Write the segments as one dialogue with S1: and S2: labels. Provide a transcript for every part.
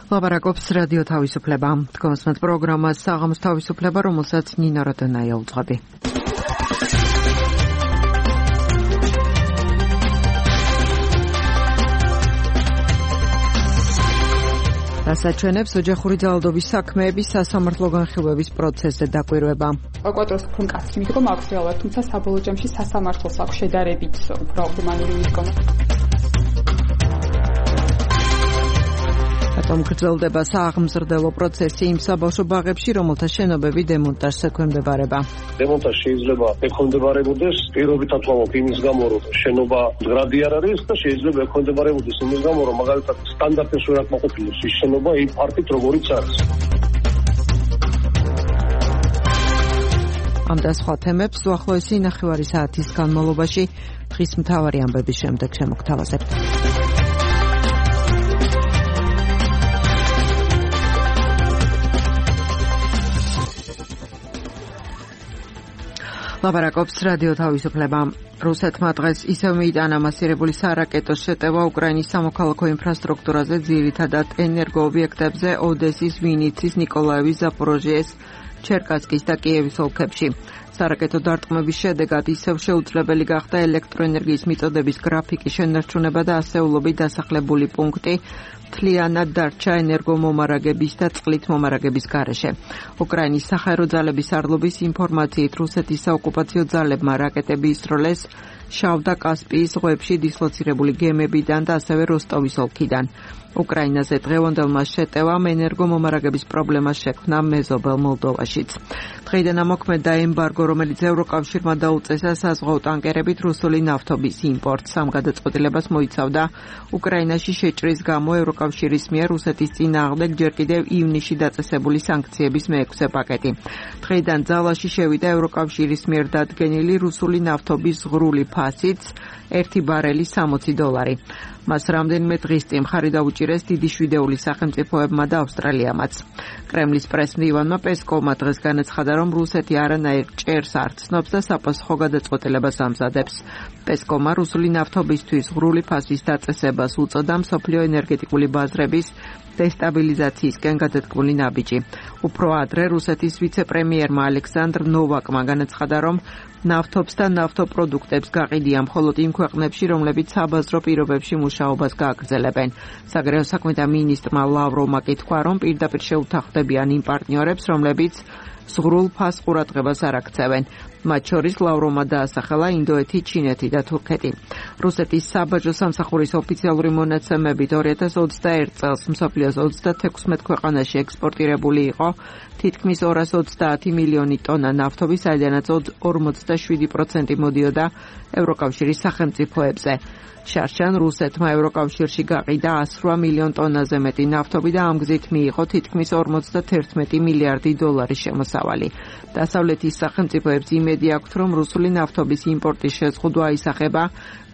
S1: ლაპარაკობს რადიო თავისუფლება. თქვენს პროგრამას საღამოს თავისუფლება, რომელსაც ნინა როდონაია უძღვები. ასაჩვენებს ოჯახური ძალადობის საქმეების სასამართლო განხილვების პროცესზე დაკვირვება.
S2: პროკურატურის უფრო მკაცრი მითქმა მაქვს რეალურად, თუმცა საბოლოო ჯამში სასამართლოს აქვს შედარებით უფრო ჰუმანური მითქმა. გრძელდება სააღმზრდელო პროცესი იმ საბავშვო ბაღებში, რომელთა შენობები დემონტაჟს ექვემდებარება.
S3: დემონტაჟი შეიძლება ექვემდებარებოდეს პირობითად ვამბობ იმის გამო, რომ შენობა მდგრადი არ არის და შეიძლება ექვემდებარებოდეს იმის გამო, რომ მაგალითად სტანდარტებს ვერ აკმაყოფილებს ის შენობა იმ ფართით, როგორიც არის.
S1: ამ და სხვა თემებს უახლოესი ნახევარი საათის განმავლობაში დღის მთავარი ამბების შემდეგ შემოგთავაზებთ. ლაპარაკობს რადიო თავისუფლება. რუსეთმა დღეს ისევ მიიტანა მასირებული სარაკეტო შეტევა უკრაინის სამოქალაქო ინფრასტრუქტურაზე, ძირითადად ენერგოობიექტებზე ოდესის, ვინიცის, ნიკოლაევის, ზაპოროჟიეს, ჩერკასკის და კიევის ოლქებში. სარაკეტო დარტყმების შედეგად ისევ შეუძლებელი გახდა ელექტროენერგიის მიწოდების გრაფიკის შენარჩუნება და ასეულობით დასახლებული პუნქტი მთლიანად დარჩა ენერგომომარაგების და წყლით მომარაგების გარეშე. უკრაინის საჰაერო ძალების арлობის ინფორმაციით, რუსეთის საოკუპაციო ძალებმა რაკეტები ისროლეს შავ და კასპიის ზღვებში დისლოცირებული გემებიდან და ასევე როსტოვის ოლქიდან. უკრაინაზე დღევანდელმა შეტევამ ენერგომომარაგების პრობლემას შექმნა მეზობელ მოლდოვაშიც. დღეიდან ამოქმედა ემბარგო, რომელიც ევროკავშირმა დაუწესა საზღვაო ტანკერებით რუსული ნავთობის იმპორტს. ამ გადაწყვეტილებას მოიცავდა უკრაინაში შეჭრის გამო ევროკავშირის მიერ რუსეთის წინააღმდეგ ჯერ კიდევ ივნისში დაწესებული სანქციების მეექვსე პაკეტი. დღეიდან ძალაში შევიდა ევროკავშირის მიერ დადგენილი რუსული ნავთობის ზღვრული ფასიც, 1 ბარელი $60. მას რამდენიმე დღის წინ მხარი დაუჭირეს დიდი შვიდეული სახელმწიფოებმა და ავსტრალიამაც. კრემლის პრესმდივანმა პესკოვმა დღეს განაცხადა, რომ რუსეთი არანაირ ჭერს არ ცნობს და საპასუხო გადაწყვეტილებას ამზადებს. პესკოვმა რუსული ნავთობისთვის ზღვრული ფასის დაწესებას უწოდა მსოფლიო ენერგეტიკული ბაზრების დესტაბილიზაციისკენ გადადგმული ნაბიჯი. უფრო ადრე რუსეთის ვიცე-პრემიერმა ალექსანდრ ნოვაკმა განაცხადა, რომ ნავთობს და ნავთობპროდუქტებს გაყიდია მხოლოდ იმ ქვეყნებში, რომლებიც საბაზრო პირობებში მუშაობას გააგრძელებენ. საგარეო საქმეთა მინისტრმა ლავროვმა კი თქვა, რომ პირდაპირ შეუთანხმდებიან იმ პარტნიორებს, რომლებიც ზღვრულ ფასს ყურადღებას არ აქცევენ. მათ შორის ლავროვმა დაასახელა ინდოეთი, ჩინეთი და თურქეთი. რუსეთის საბაჟო სამსახურის ოფიციალური მონაცემებით 2021 წელს მსოფლიოს 36 ქვეყანაში ექსპორტირებული იყო თითქმის 230 მილიონი ტონა ნავთობი, საიდანაც 47% მოდიოდა ევროკავშირის სახელმწიფოებზე. შარშან რუსეთმა ევროკავშირში გაყიდა 108 მილიონ ტონაზე მეტი ნავთობი და ამ გზით მიიღო თითქმის 51 მილიარდი $. შემოსავალი. დასავლეთის სახელმწიფოებს იმედი აქვთ, რომ რუსული ნავთობის იმპორტის შეზღუდვა აისახება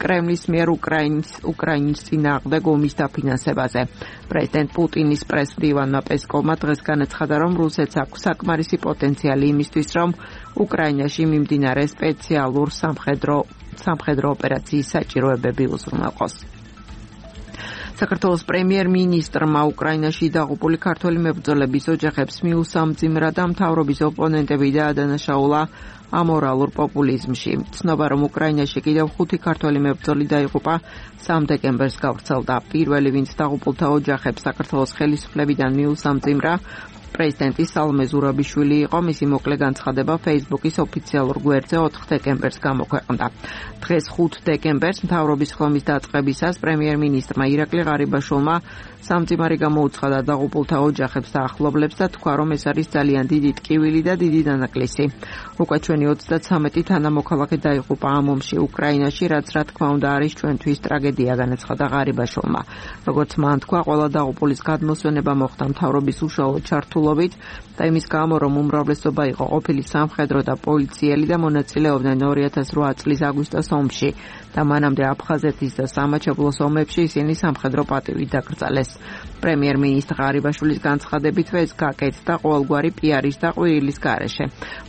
S1: კრემლის მიერ უკრაინის წინააღმდეგ ომის დაფინანსებაზე. პრეზიდენტ პუტინის პრესმდივანმა პესკოვმა დღეს განაცხადა, რომ რუსეთს აქვს საკმარისი პოტენციალი იმისთვის, რომ უკრაინაში მიმდინარე სპეციალურ სამხედრო ოპერაციის საჭიროებები უზრუნველყოს. საქართველოს პრემიერ-მინისტრმა უკრაინაში დაღუპული ქართველი მებრძოლების ოჯახებს მიუსამძიმრა და მთავრობის ოპონენტები დაადანაშაულა ამორალურ პოპულიზმში. ცნობა, რომ უკრაინაში კიდევ 5 ქართველი მებრძოლი დაიღუპა 3 დეკემბერს გავრცელდა. პირველი, ვინც დაღუპულთა ოჯახებს საქართველოს ხელისუფლებიდან მიუსამძიმრა, პრეზიდენტი სალომე ზურაბიშვილი იყო. მისი მოკლე განცხადება Facebook-ის ოფიციალურ გვერდზე 4 დეკემბერს გამოქვეყნდა. დღეს 5 დეკემბერს მთავრობის ხომის დაწყებისას პრემიერ-მინისტრმა ირაკლი ღარიბაშვილმა სამძიმარი გამოუცხადა დაღუპულთა ოჯახებს და ახლობლებს და თქვა, რომ ეს არის ძალიან დიდი ტკივილი და დიდი დანაკლისი. უკვე ჩვენი 33 თანამოქალაქე დაიღუპა ამ ომში უკრაინაში, რაც რა თქმა უნდა არის ჩვენთვის ტრაგედია, განაცხადა ღარიბაშვილმა. როგორც მან თქვა, ყველა დაღუპულის გადმოსვენება მოხდა მთავრობის უშუალო ჩართულობით და იმის გამო, რომ უმრავლესობა იყო ყოფილი სამხედრო და პოლიციელი და მონაწილეობდნენ 2008 წლის აგვისტოს ომში და მანამდე აფხაზეთის და სამაჩაბლოს ომებში ისინი სამხედრო პატივით დაკრძალეს. პრემიერ-მინისტრ ღარიბაშვილის განცხადებითვე ეს გაკეთდა ყოველგვარი პიარის და ყვირილის გარეშე.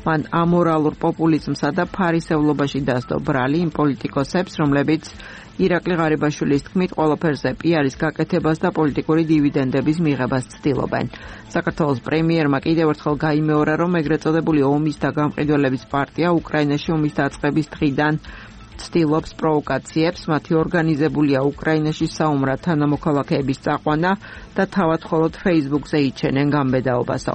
S1: მან ამორალურ პოპულიზმსა და ფარისევლობაში დასდო ბრალი იმ პოლიტიკოსებს, რომლებიც ირაკლი ღარიბაშვილის თქმით, ყველაფერზე პიარის გაკეთებას და პოლიტიკური დივიდენდების მიღებას ცდილობენ. საქართველოს პრემიერმა კიდევ ერთხელ გაიმეორა, რომ ეგრეთ წოდებული ომის და გამყიდველების პარტია უკრაინაში ომის დაწყების დღიდან ცდილობს პროვოკაციებს, მათი ორგანიზებულია უკრაინაში საომრად თანამოქალაქეების წაყვანა და თავად მხოლოდ Facebook-ზე იჩენენ გამბედაობასო.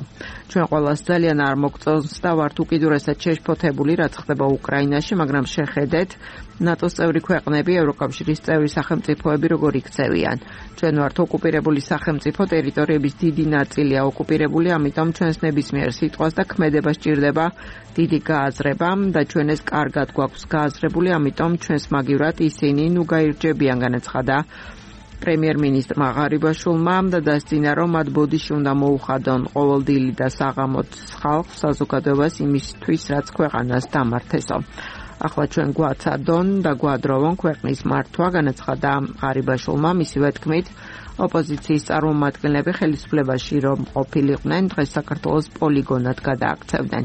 S1: ჩვენ ყველას ძალიან არ მოგწონს და ვართ უკიდურესად შეშფოთებული, რაც ხდება უკრაინაში, მაგრამ შეხედეთ, ნატოს წევრი ქვეყნები, ევროკავშირის წევრი სახელმწიფოები როგორ იქცევიან. ჩვენ ვართ ოკუპირებული სახელმწიფო, ტერიტორიების დიდი ნაწილია ოკუპირებული, ამიტომ ჩვენს ნებისმიერ სიტყვას და ქმედებას სჭირდება დიდი გააზრება და ჩვენ ეს კარგად გვაქვს გააზრებული, ამიტომ ჩვენს მაგივრად ისინი ნუ გაირჯებიან, განაცხადა პრემიერ-მინისტრმა ღარიბაშვილმა და დასძინა, რომ მათ ბოდიში უნდა მოუხადონ ყოველდღიური და საღამოც ხალხს საზოგადოებას იმისთვის, რაც ქვეყანას დამართესო. ახლა ჩვენ გვაცადონ და გვადროვონ ქვეყნის მართვა, განაცხადა ღარიბაშვილმა. მისივე თქმით, ოპოზიციის წარმომადგენლები ხელისუფლებაში რომ ყოფილიყვნენ, დღეს საქართველოს პოლიგონად გადააქცევდნენ.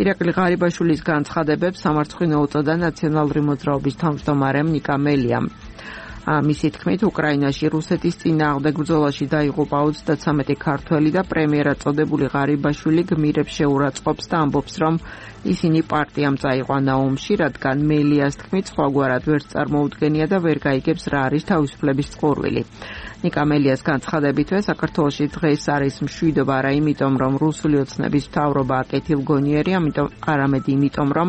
S1: ირაკლი ღარიბაშვილის განცხადებებს სამარცხვინო უწოდა ნაციონალური მოძრაობის თავმჯდომარემ ნიკა მელიამ. მისი თქმით, უკრაინაში რუსეთის წინააღმდეგ ბრძოლაში დაიღუპა 33 ქართველი და პრემიერად წოდებული ღარიბაშვილი გმირებს შეურაცხყოფს და ამბობს, რომ ისინი პარტიამ წაიყვანა ომში, რადგან მელიას თქმით, სხვაგვარად ვერც წარმოუდგენია და ვერ გაიგებს რა არის თავისუფლების წყურვილი. ნიკა მელიას განცხადებითვე, საქართველოში დღეს არის მშვიდობა არა იმიტომ, რომ რუსული ოცნების მთავრობა აკეთილგონიერი, არამედ იმიტომ, რომ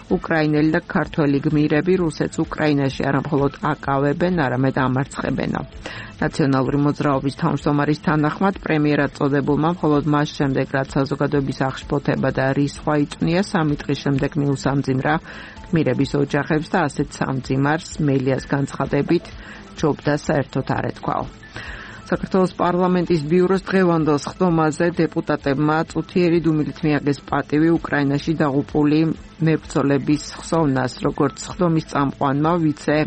S1: უკრაინელი და ქართველი გმირები რუსეთს უკრაინაში არა მხოლოდ აკავებენ, არამედ ამარცხებენო. ნაციონალური მოძრაობის თავმჯდომარის თანახმად, პრემიერად წოდებულმა მხოლოდ მას შემდეგ, რაც საზოგადოების აღშფოთება და რისხვა იწვნია, 3 დღის შემდეგ მიუსამძიმრა გმირების ოჯახებს და ასეთ სამძიმარს მელიას განცხადებით ჯობდა საერთოდ არ ეთქვაო. საქართველოს პარლამენტის ბიუროს დღევანდელ სხდომაზე დეპუტატებმა წუთიერი დუმილით მიაგეს პატივი უკრაინაში დაღუპული მებრძოლების ხსოვნას, როგორც სხდომის წამყვანმა ვიცე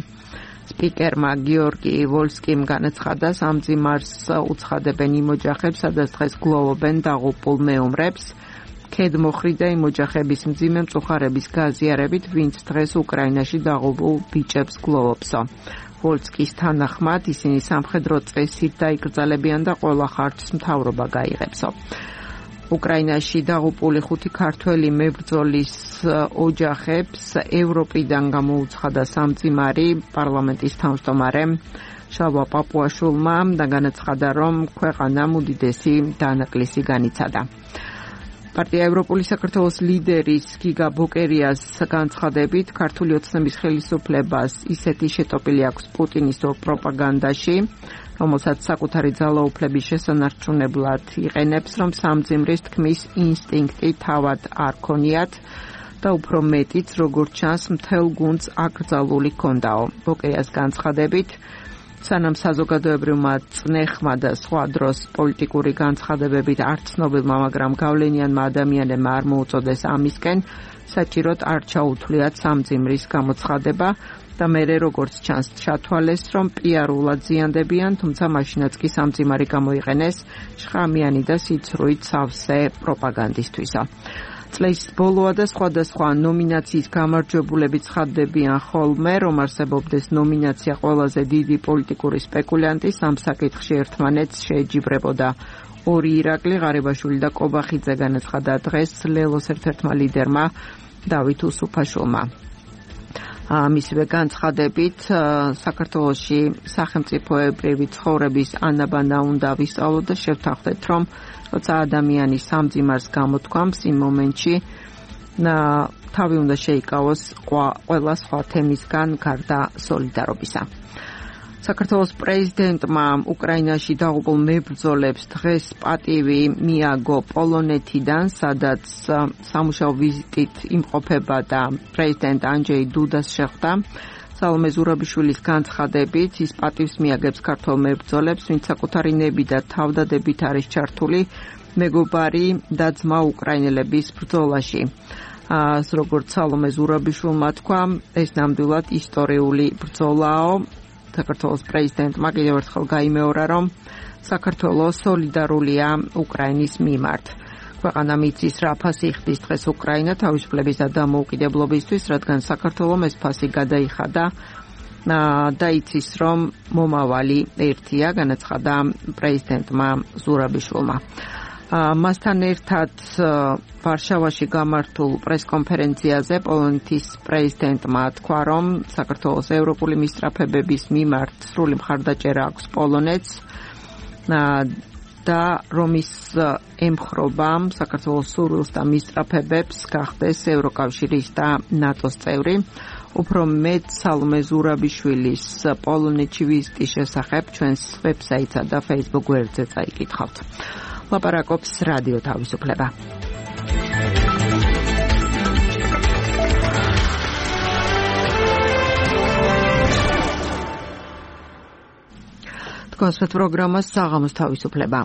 S1: სპიკერმა გიორგი ვოლსკიმ განაცხადა, სამძიმარს უცხადებენ იმ ოჯახებს, სადაც დღეს გლოვობენ დაღუპულ მეომრებს, ქედმოხრი და იმ ოჯახების მძიმე მწუხარების გაზიარებით, ვინც დღეს უკრაინაში დაღუპულ ბიჭებს გლოვობსო. ვოლსკის თანახმად ისინი სამხედრო წესით დაიკრძალებიან და ყველა ხარჯს მთავრობა გაიღებსო. უკრაინაში დაღუპული 5 ქართველი მებრძოლის ოჯახებს ევროპიდან გამოუცხადა სამძიმარი პარლამენტის თავმჯდომარემ შალვა პაპუაშვილმა და განაცხადა, რომ ქვეყანამ უდიდესი დანაკლისი განიცადა. პარტია ევროპული საქართველოს ლიდერის გიგა ბოკერიას განცხადებით, ქართული ოცნების ხელისუფლებას ისეთი შეტოპილი აქვს პუტინისტო პროპაგანდაში, რომელსაც საკუთარი ძალაუფლების შესანარჩუნებლად იყენებს, რომ სამძიმრის თქმის ინსტინქტი თავად არ ქონიათ და უფრო მეტიც, როგორც ჩანს, მთელ გუნდს აკრძალული ჰქონდაო. ბოკერიას განცხადებით, სანამ საზოგადოებრივმა წნეხმა და სხვა დროს პოლიტიკური განცხადებებით არ ცნობილმა, მაგრამ გავლენიანმა ადამიანებმა არ მოუწოდეს ამისკენ, საჭიროდ არ ჩაუთვლიათ სამძიმრის გამოცხადება და მერე როგორც ჩანს ჩათვალეს, რომ პიარულად ზიანდებიან, თუმცა მაშინაც კი სამძიმარი გამოიყენეს შხამიანი და სიცრუით სავსე პროპაგანდისთვისა. წლის ბოლოა და სხვადასხვა ნომინაციის გამარჯვებულები ცხადდებიან ხოლმე, რომ არსებობდეს ნომინაცია ყველაზე დიდი პოლიტიკური სპეკულიანტის, ამ საკითხში ერთმანეთს შეეჯიბრებოდა ორი ირაკლი, ღარიბაშვილი და კობახიძე, განაცხადა დღეს ლელოს ერთ-ერთმა ლიდერმა დავით უსუფაშვილმა. მისივე განცხადებით, საქართველოში სახელმწიფოებრივი ცხოვრების ანაბანა უნდა ვისწავლოთ და შევთანხმდეთ, რომ როცა ადამიანი სამძიმარს გამოთქვამს, იმ მომენტში თავი უნდა შეიკავოს ყველა სხვა თემისგან გარდა სოლიდარობისა. საქართველოს პრეზიდენტმა უკრაინაში დაღუპულ მებრძოლებს დღეს პატივი მიაგო პოლონეთიდან, სადაც სამუშაო ვიზიტით იმყოფება და პრეზიდენტ ანჯეი დუდას შეხვდა. სალომე ზურაბიშვილის განცხადებით, ის პატივს მიაგებს ქართველ მებრძოლებს, ვინც საკუთარი ნები და თავდადებით არის ჩართული მეგობარი და ძმა უკრაინელების ბრძოლაში. როგორც სალომე ზურაბიშვილმა თქვა, ეს ნამდვილად ისტორიული ბრძოლაო. საქართველოს პრეზიდენტმა კიდევ ერთხელ გაიმეორა, რომ საქართველო სოლიდარულია უკრაინის მიმართ. ქვეყანა მიწის რა ფასი იხდის დღეს უკრაინა თავისუფლების და დამოუკიდებლობისთვის, რადგან საქართველომ ეს ფასი გადაიხადა და იცის, რომ მომავალი ერთია, განაცხადა პრეზიდენტმა ზურაბიშვილმა. მასთან ერთად ვარშავაში გამართულ პრესკონფერენციაზე პოლონეთის პრეზიდენტმა თქვა, რომ საქართველოს ევროპული მისწრაფებების მიმართ სრული მხარდაჭერა აქვს პოლონეთს და რომ ის ემხრობა საქართველოს სურვილს და მისწრაფებებს გახდეს ევროკავშირის და ნატოს წევრი. უფრო მეტ სალომე ზურაბიშვილის პოლონეთში ვიზიტის შესახებ ჩვენს ვებსაიტსა და Facebook გვერდზე წაიკითხავთ. ლაპარაკობს რადიო თავისუფლება. თქვენს პროგრამას საღამოს თავისუფლება.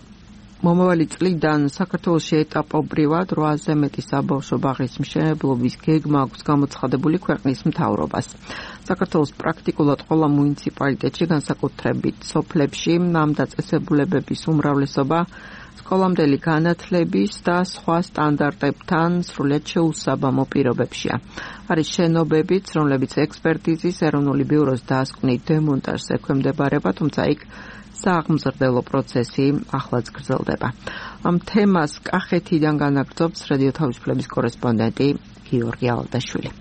S1: მომავალი წლიდან საქართველოში ეტაპობრივად 8-ზე მეტი საბავშვო ბაღის მშენებლობის გეგმა აქვს გამოცხადებული ქვეყნის მთავრობას. საქართველოს პრაქტიკულად ყველა მუნიციპალიტეტში, განსაკუთრებით სოფლებში, ამ დაწესებულებების უმრავლესობა სკოლამდელი განათლების და სხვა სტანდარტებთან სრულიად შეუსაბამო პირობებშია. არის შენობებიც, რომლებიც ექსპერტიზის ეროვნული ბიუროს დასკვნით დემონტაჟს ექვემდებარება, თუმცა იქ სააღმზრდელო პროცესი ახლაც გრძელდება. ამ თემას კახეთიდან განაგრძობს რადიო თავისუფლების კორესპონდენტი გიორგი ალდაშვილი.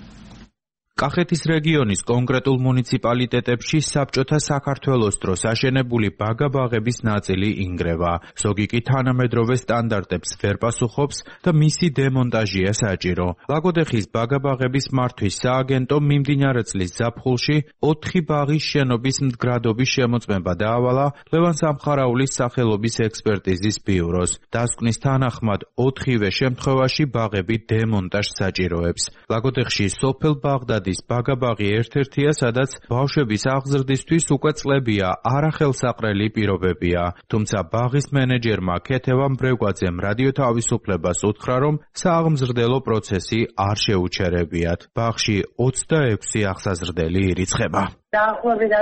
S4: კახეთის რეგიონის კონკრეტულ მუნიციპალიტეტებში საბჭოთა საქართველოს დროს აშენებული ბაგა-ბაღების ნაწილი ინგრევა. ზოგი კი თანამედროვე სტანდარტებს ვერ პასუხობს და მისი დემონტაჟია საჭირო. ლაგოდეხის ბაგა-ბაღების მართვის სააგენტომ მიმდინარე წლის ზაფხულში 4 ბაღის შენობის მდგრადობის შემოწმება დაავალა ლევან სამხარაულის სახელობის ექსპერტიზის ბიუროს. დასკვნის თანახმად 4-ვე შემთხვევაში ბაღები დემონტაჟს საჭიროებს. ლაგოდეხში სოფელ ბაღდადის ბაგა-ბაღი ერთ-ერთია, სადაც ბავშვების აღზრდისთვის უკვე წლებია არახელსაყრელი პირობებია. თუმცა ბაღის მენეჯერმა ქეთევან ბრეგვაძემ რადიო თავისუფლებას უთხრა, რომ სააღმზრდელო პროცესი არ შეუჩერებიათ. ბაღში 26 აღსაზრდელი ირიცხება.
S5: დაახლოებით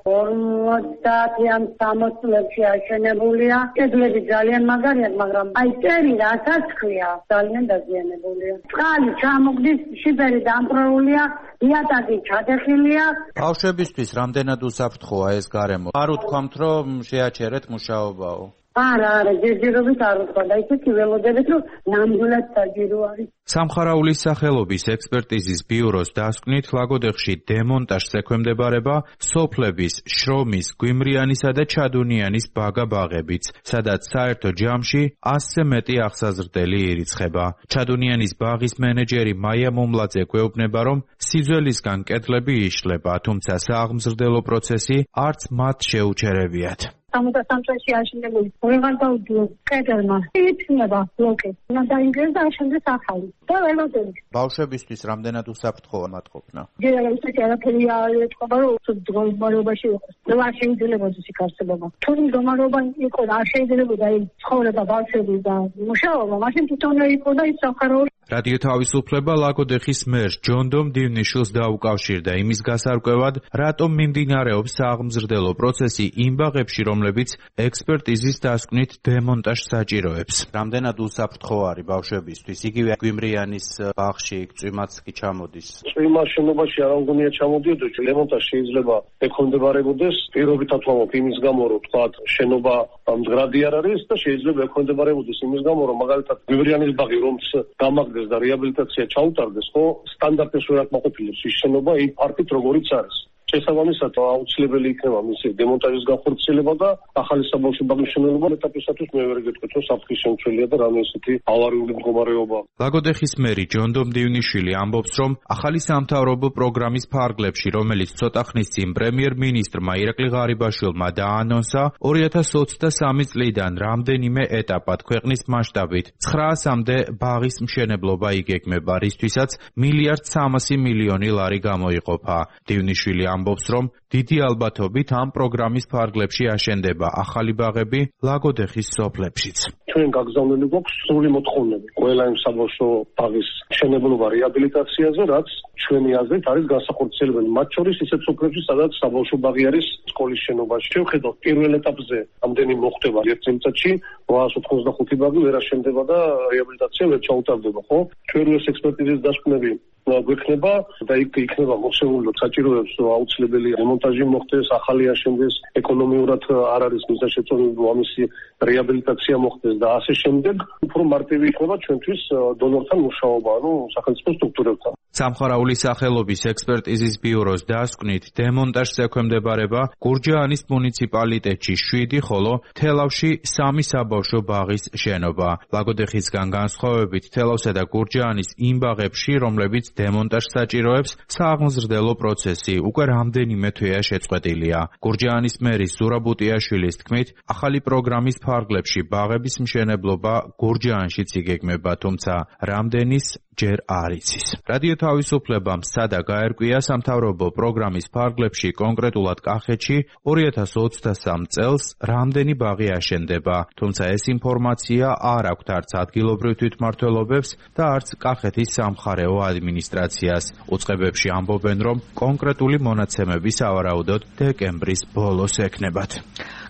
S5: 50-ან 60 წლებში აშენებულია. კედლები ძალიან მაგარია, მაგრამ აი წერი რასაც ქვია, ძალიან დაზიანებულია. წყალი ჩამოგდის, შიფერი დამპროულია, იატაკი ჩადეხილია.
S4: ბავშვებისთვის რამდენად უსაფრთხოა ეს გარემო? არ უთქვამთ, რომ შეაჩერეთ მუშაობაო.
S5: არა, ჯერჯერობით არ უთქვა და ისეთი ველოდებით, რომ ნამდვილად საჭირო არის.
S4: სამხარაულის სახელობის ექსპერტიზის ბიუროს დასკვნით ლაგოდეხში დემონტაჟს ექვემდებარება სოფლების შრომის, გვიმრიანისა და ჩადუნიანის ბაგა-ბაღებიც, სადაც საერთო ჯამში 100-ზე მეტი აღსაზრდელი ირიცხება. ჩადუნიანის ბაღის მენეჯერი მაია მომლაძე გვეუბნება, რომ სიძველისგან კედლები იშლება, თუმცა სააღმზრდელო პროცესი არც მათ შეუჩერებიათ.
S5: 63 წელში აშენებული ვეღარ დაუდგო კედელმა. იწნება ბლოკი. დაინგრეს და აშენდეს ახალი. და ველოდებით.
S4: ბავშვებისთვის რამდენად უსაფრთხოა მათ ყოფნა?
S5: ჯერ ისეთი არაფერი არ ეთქობა, რომ მდგომარეობაში იყოს. და არ შეიძლებოდა ის არსებობა. თუ მდგომარეობა იყო და არ შეიძლებოდა ის ცხოვრება ბავშვების და მუშაობა, მაშინ თვითონ იყო და ის სამხარაული.
S4: რადიო თავისუფლება ლაგოდეხის მერს ჯონდომ დივნიშვილს დაუკავშირდა იმის გასარკვევად, რატომ მიმდინარეობს სააღმზრდელო პროცესი იმ ბაღებში, რომლებიც ექსპერტიზის დასკვნით დემონტაჟს საჭიროებს. რამდენად უსაფრთხო არის ბავშვებისთვის? იგივე გვიმრიანის ბაღში წვიმაც კი ჩამოდის.
S3: წვიმა შენობაში არ უნდა ჩამოდიოდოს, დემონტაჟი შეიძლება ექვემდებარებოდეს. პირობითად ვამბობ იმის გამო, რომ თქვა შენობა მდგრადი არ არის და შეიძლება ექვემდებარებოდეს იმის გამო, რომ მაგალითად გვიმრიანის ბაღი რომც გამაგდეს და რეაბილიტაცია ჩაუტარდეს, ხო, სტანდარტებს ვერ აკმაყოფილებს ის შენობა იმ ფართით როგორიც არის. შესაბამისად აუცილებელი იქნება მისი დემონტაჟის განხორციელება და ახალი საბავშვო ბაღის მშენებლობა ეტაპისათვის მე ვერ გეტყვით, რომ საფრთხის შემცველია და რამე ისეთი ავარიული მდგომარეობა.
S4: ლაგოდეხის მერი ჯონდომ დივნიშვილი ამბობს, რომ ახალი სამთავრობო პროგრამის ფარგლებში, რომელიც ცოტა ხნის წინ პრემიერ-მინისტრმა ირაკლი ღარიბაშვილმა დაანონსა, 2023 წლიდან რამდენიმე ეტაპად ქვეყნის მასშტაბით 900-მდე ბაღის მშენებლობა იგეგმება, რისთვისაც 1,3 მილიარდი ლარი გამოიყოფა. დივნიშვილი ამბობს, რომ დიდი ალბათობით ამ პროგრამის ფარგლებში აშენდება ახალი ბაღები ლაგოდეხის სოფლებშიც.
S3: ჩვენ გაგზავნილი გვაქვს სრული მოთხოვნები ყველა იმ საბავშვო ბაღის მშენებლობა რეაბილიტაციაზე, რაც ჩვენი აზრით არის განსახორციელებელი. მათ შორის ისეთ სოფლებში, სადაც საბავშვო ბაღი არის სკოლის შენობაში. შევხედოთ პირველ ეტაპზე ამდენი მოხდება ერთ წელიწადში 895 ბაღი ვერ აშენდება და რეაბილიტაცია ვერ ჩაუტარდება, ხო? ჩვენ ეს ექსპერტიზის დასკვნები გვექნება და იქნება მოხსეული საჭიროებს აუცილებელი რემონტაჟი მოხდეს, ახალი აშენდეს, ეკონომიურად არ არის მიზანშეწონილი ამისი რეაბილიტაცია მოხდეს და ასე შემდეგ. უფრო მარტივი იქნება ჩვენთვის დონორთან მუშაობა, სახელმწიფო სტრუქტურებთან.
S4: სამხარაულის სახელობის ექსპერტიზის ბიუროს დასკვნით დემონტაჟს ექვემდებარება გურჯაანის მუნიციპალიტეტში 7, ხოლო თელავში 3 საბავშვო ბაღის შენობა. ლაგოდეხისგან განსხვავებით თელავსა და გურჯაანის იმ ბაღებში, რომლებიც დემონტაჟს საჭიროებს, სააღმზრდელო პროცესი უკვე რამდენიმე თვეა შეწყვეტილია. გურჯაანის მერის ზურაბუტიაშვილის თქმით, ახალი პროგრამის ფარგლებში ბაღების მშენებლობა გურჯაანშიც იგეგმება, თუმცა რამდენის ჯერ არ იცის. რადიო თავისუფლებამ სადა გაერკვია სამთავრობო პროგრამის ფარგლებში, კონკრეტულად კახეთში 2023 წელს რამდენი ბაღი აშენდება, თუმცა ეს ინფორმაცია არ აქვთ არც ადგილობრივ თვითმმართველობებს და არც კახეთის სამხარეო ადმინისტრაციას. უწყებებში ამბობენ, რომ კონკრეტული მონაცემები სავარაუდოდ დეკემბრის ბოლოს ექნებათ.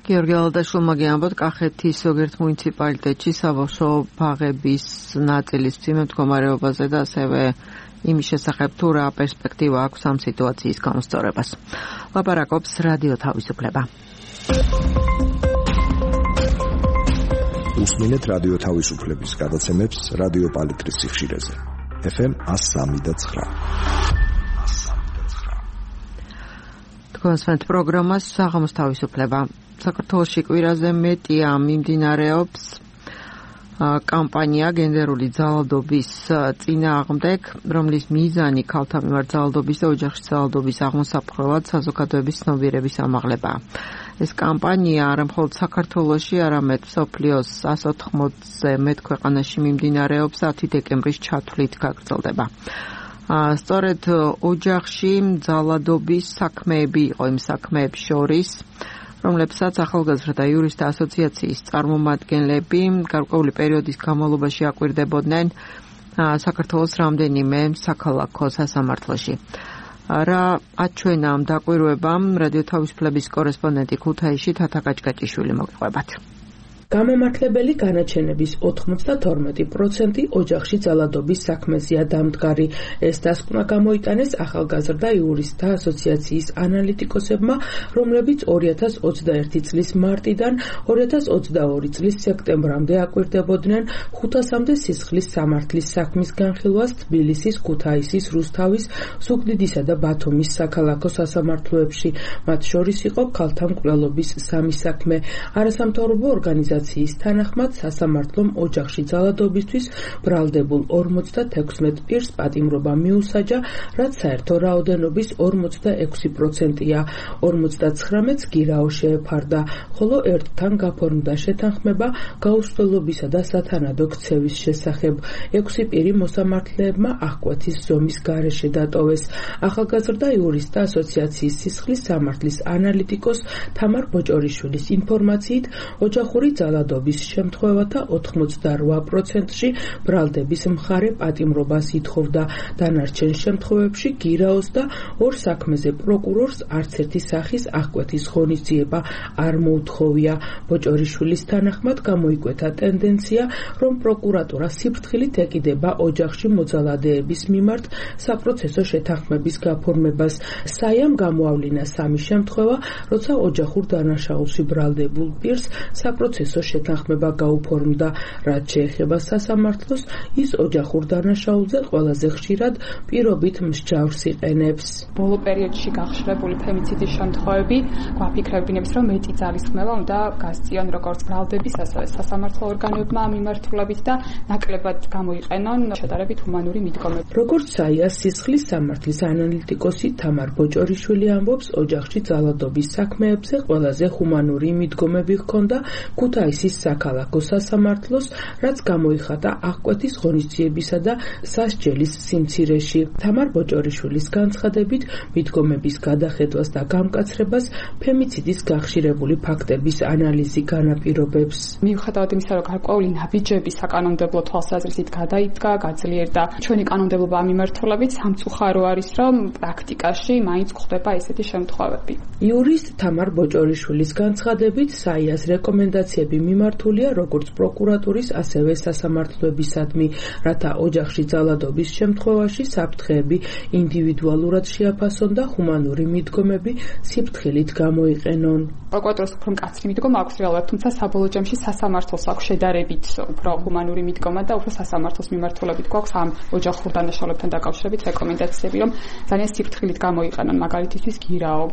S1: გიორგი ალადაშვილმა გიამბოთ, კახეთის ზოგიერთ მუნიციპალიტეტში საბავშვო ბაღების ნაწილის მძიმე მდგომარეობაზე და ასევე იმის შესახებ თუ რა პერსპექტივა აქვს ამ სიტუაციის გამოსწორებას. ლაპარაკობს რადიო თავისუფლება.
S6: უსმინეთ რადიო თავისუფლების გადაცემებს რადიო პალიტრის სიხშირეზე. FM 103.9.
S1: თქვენს პროგრამას საღამოს თავისუფლება. საქართველოში კვირაზე მეტია მიმდინარეობს კამპანია გენდერული ძალადობის წინააღმდეგ, რომლის მიზანი ქალთა მიმართ ძალადობის და ოჯახში ძალადობის აღმოსაფხვრელად საზოგადოების ცნობიერების ამაღლებაა. ეს კამპანია არა მხოლოდ საქართველოში, არამედ მსოფლიოს 180-ზე მეტ ქვეყანაში მიმდინარეობს 10 დეკემბრის ჩათვლით გაგრძელდება. სწორედ ოჯახში ძალადობის საქმეები იყო იმ საქმეებს შორის, რომლებსაც ახალგაზრდა იურისტთა ასოციაციის წარმომადგენლები გარკვეული პერიოდის განმავლობაში აკვირდებოდნენ საქართველოს რამდენიმე საქალაქო სასამართლოში. რა აჩვენა ამ დაკვირვებამ, რადიო თავისუფლების კორესპონდენტი ქუთაისში თათა კაჭკაჭიშვილი მოგიყვებათ.
S7: გამომართლებელი განაჩენების 92% ოჯახში ძალადობის საქმეზეა დამდგარი. ეს დასკვნა გამოიტანეს ახალგაზრდა იურისტთა ასოციაციის ანალიტიკოსებმა, რომლებიც 2021 წლის მარტიდან 2022 წლის სექტემბრამდე აკვირდებოდნენ 500-მდე სისხლის სამართლის საქმის განხილვას თბილისის, ქუთაისის, რუსთავის, ზუგდიდისა და ბათუმის საქალაქო სასამართლოებში. მათ შორის იყო ქალთა მკვლელობის 3 საქმე. არასამთავრობო ორგანიზაციის თანახმად სასამართლომ ოჯახში ძალადობისთვის ბრალდებულ 56 პირს პატიმრობა მიუსაჯა, რაც საერთო რაოდენობის 46%-ია. 59-ს გირაო შეეფარდა, ხოლო ერთთან გაფორმდა შეთანხმება გაუსვლელობისა და სათანადო ქცევის შესახებ. 6 პირი მოსამართლეებმა აღკვეთის ზომის გარეშე დატოვეს. ახალგაზრდა იურისტთა ასოციაციის სისხლის სამართლის ანალიტიკოს თამარ ბოჭორიშვილის ინფორმაციით, ოჯახური ძალადობის შემთხვევათა 88%-ში ბრალდების მხარე პატიმრობას ითხოვდა. დანარჩენ შემთხვევებში გირაოს და ორ საქმეზე პროკურორს არც ერთი სახის აღკვეთის ღონისძიება არ მოუთხოვია. ბოჭორიშვილის თანახმად გამოიკვეთა ტენდენცია, რომ პროკურატურა სიფრთხილით ეკიდება ოჯახში მოძალადეების მიმართ საპროცესო შეთანხმების გაფორმებას. საიამ გამოავლინა 3 შემთხვევა, როცა ოჯახურ დანაშაულში ბრალდებულ პირს საპროცესო შეთანხმება გაუფორმდა. რაც შეეხება სასამართლოს, ის ოჯახურ დანაშაულზე ყველაზე ხშირად პირობით მსჯავრს იყენებს.
S2: ბოლო პერიოდში გახსნებული ფემიციდის შემთხვევები გვაფიქრებინებს, რომ მეტი ძალისხმევა უნდა გასწიონ როგორც ბრალდების, ასევე სასამართლო ორგანოებმა მიმართულებით და ნაკლებად გამოიყენონ შედარებით ჰუმანური მიდგომები. როგორც
S7: საიას სისხლის სამართლის ანალიტიკოსი თამარ ბოჭორიშვილი ამბობს, ოჯახში ძალადობის საქმეებზე ყველაზე ჰუმანური მიდგომები ჰქონდა ქუთაისის საქალაქო სასამართლოს, რაც გამოიხატა აღკვეთის ღონისძიებისა და სასჯელის სიმცირეში. თამარ ბოჭორიშვილის განცხადებით, მიდგომების გადახედვას და გამკაცრებას ფემიციდის გახშირებული ფაქტების ანალიზი განაპირობებს.
S2: მიუხედავად იმისა, რომ გარკვეული ნაბიჯები საკანონმდებლო თვალსაზრისით გადაიდგა, გაძლიერდა ჩვენი კანონმდებლობა ამ მიმართულებით, სამწუხარო არის, რომ პრაქტიკაში მაინც გვხვდება ესეთი შემთხვევები.
S7: იურისტ თამარ ბოჭორიშვილის განცხადებით, საიას რეკომენდაციები მიღწევები მიმართულია როგორც პროკურატურის, ასევე სასამართლოებისადმი, რათა ოჯახში ძალადობის შემთხვევაში საფრთხეები ინდივიდუალურად შეაფასონ და ჰუმანური მიდგომები სიფრთხილით გამოიყენონ.
S2: პროკურატურას უფრო მკაცრი მიდგომა აქვს რეალურად, თუმცა საბოლოო ჯამში სასამართლოს აქვს შედარებით უფრო ჰუმანური მიდგომა და უფრო სასამართლოს მიმართულებით გვაქვს ამ ოჯახურ დანაშაულებთან დაკავშირებით რეკომენდაციები, რომ ძალიან სიფრთხილით გამოიყენონ, მაგალითისთვის გირაო.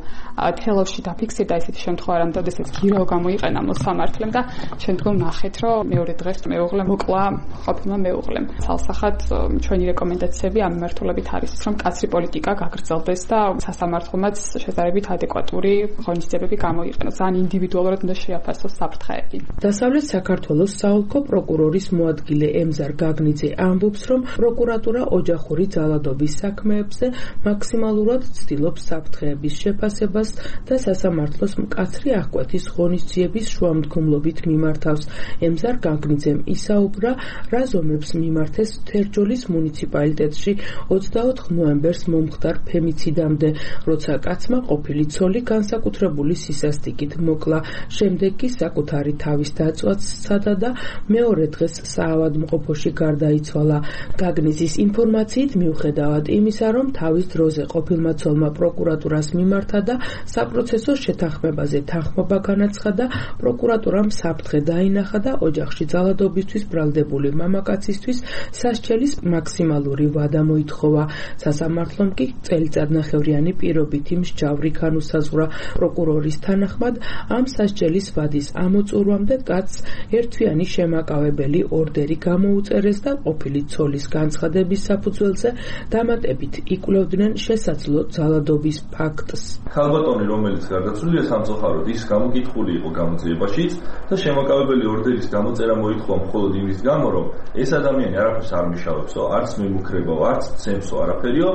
S2: თელავში დაფიქსირდა ესეთი შემთხვევა, რომ დედასაც გირაო გამოიყენა მოსამართლემ და შემდგომ ნახეთ, რომ მეორე დღეს მეუღლე მოკლა ყოფილმა მეუღლემ. ცალსახად ჩვენი რეკომენდაციები ამ მიმართულებით არის, რომ კაცრი პოლიტიკა გაგრძელდეს და სასამართლომაც შედარებით ადეკვატური ღონისძიებები გამოიყენოს. ძალიან ინდივიდუალურად უნდა შეაფასოს საფრთხეები.
S7: დასავლეთ საქართველოს საოლქო პროკურორის მოადგილე ემზარ გაგნიძე ამბობს, რომ პროკურატურა ოჯახური ძალადობის საქმეებზე მაქსიმალურად ცდილობს საფრთხეების შეფასებას და სასამართლოს მკაცრი აღკვეთის ღონისძიების შუამდგომლობით მიმართავს. ემზარ გაგნიძემ ისაუბრა, რა ზომებს მიმართეს თერჯოლის მუნიციპალიტეტში 24 ნოემბერს მომხდარ ფემიციდამდე, როცა კაცმა ყოფილი ცოლი განსაკუთრებული სისასტიკით მოკლა, შემდეგ კი საკუთარი თავის დაწვაც სცადა და მეორე დღეს საავადმყოფოში გარდაიცვალა. გაგნიძის ინფორმაციით მიუხედავად იმისა, რომ თავის დროზე ყოფილმა ცოლმა პროკურატურას მიმართა და საპროცესო შეთანხმებაზე თანხმობა განაცხადა, პროკურატურამ საფრთხე დაინახა და ოჯახში ძალადობისთვის ბრალდებული მამაკაცისთვის სასჯელის მაქსიმალური ვადა მოითხოვა. სასამართლომ კი წელიწადნახევრიანი პირობითი მსჯავრი განუსაზღვრა. პროკურორის თანახმად, ამ სასჯელის ვადის ამოწურვამდე კაცს ერთთვიანი შემაკავებელი ორდერი გამოუწერეს და ყოფილი ცოლის განცხადების საფუძველზე დამატებით იკვლევდნენ შესაძლო ძალადობის ფაქტს.
S8: ქალბატონი, რომელიც გარდაცვლილია სამწუხაროდ, ის გამოკითხული იყო გამოძიებაშიც და შემაკავებელი ორდერის გამოწერა მოითხოვა მხოლოდ იმის გამო, რომ ეს ადამიანი არაფერს არ მიშავებსო, არც მემუქრებაო, არც ცემსო, არაფერიო,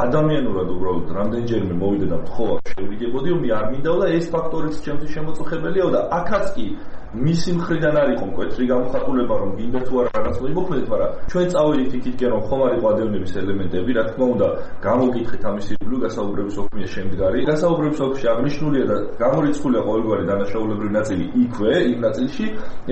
S8: ადამიანურად უბრალოდ რამდენჯერმე მოვიდა და მთხოვა შევიგებოდიო, მე არ მინდაო და ეს ფაქტორიც ჩემთვის შემოწუხებელიაო და აქაც კი მისი მხრიდან არ იყო მკვეთრი გამოხატულება, რომ გინდა თუ არა რაღაც მოიმოქმედეთ, მაგრამ ჩვენ წავედით იქითკენ, რომ ხომ არ იყო ადევნების ელემენტები, რა თქმა უნდა, გამოგითხეთ ამის ირგვლივ გასაუბრების ოფისის შემდგარი. გასაუბრების ოფისში აღნიშნულია და გამორიცხულია ყოველგვარი დანაშაულებრივი ნაწილი იქვე, იმ ნაწილში.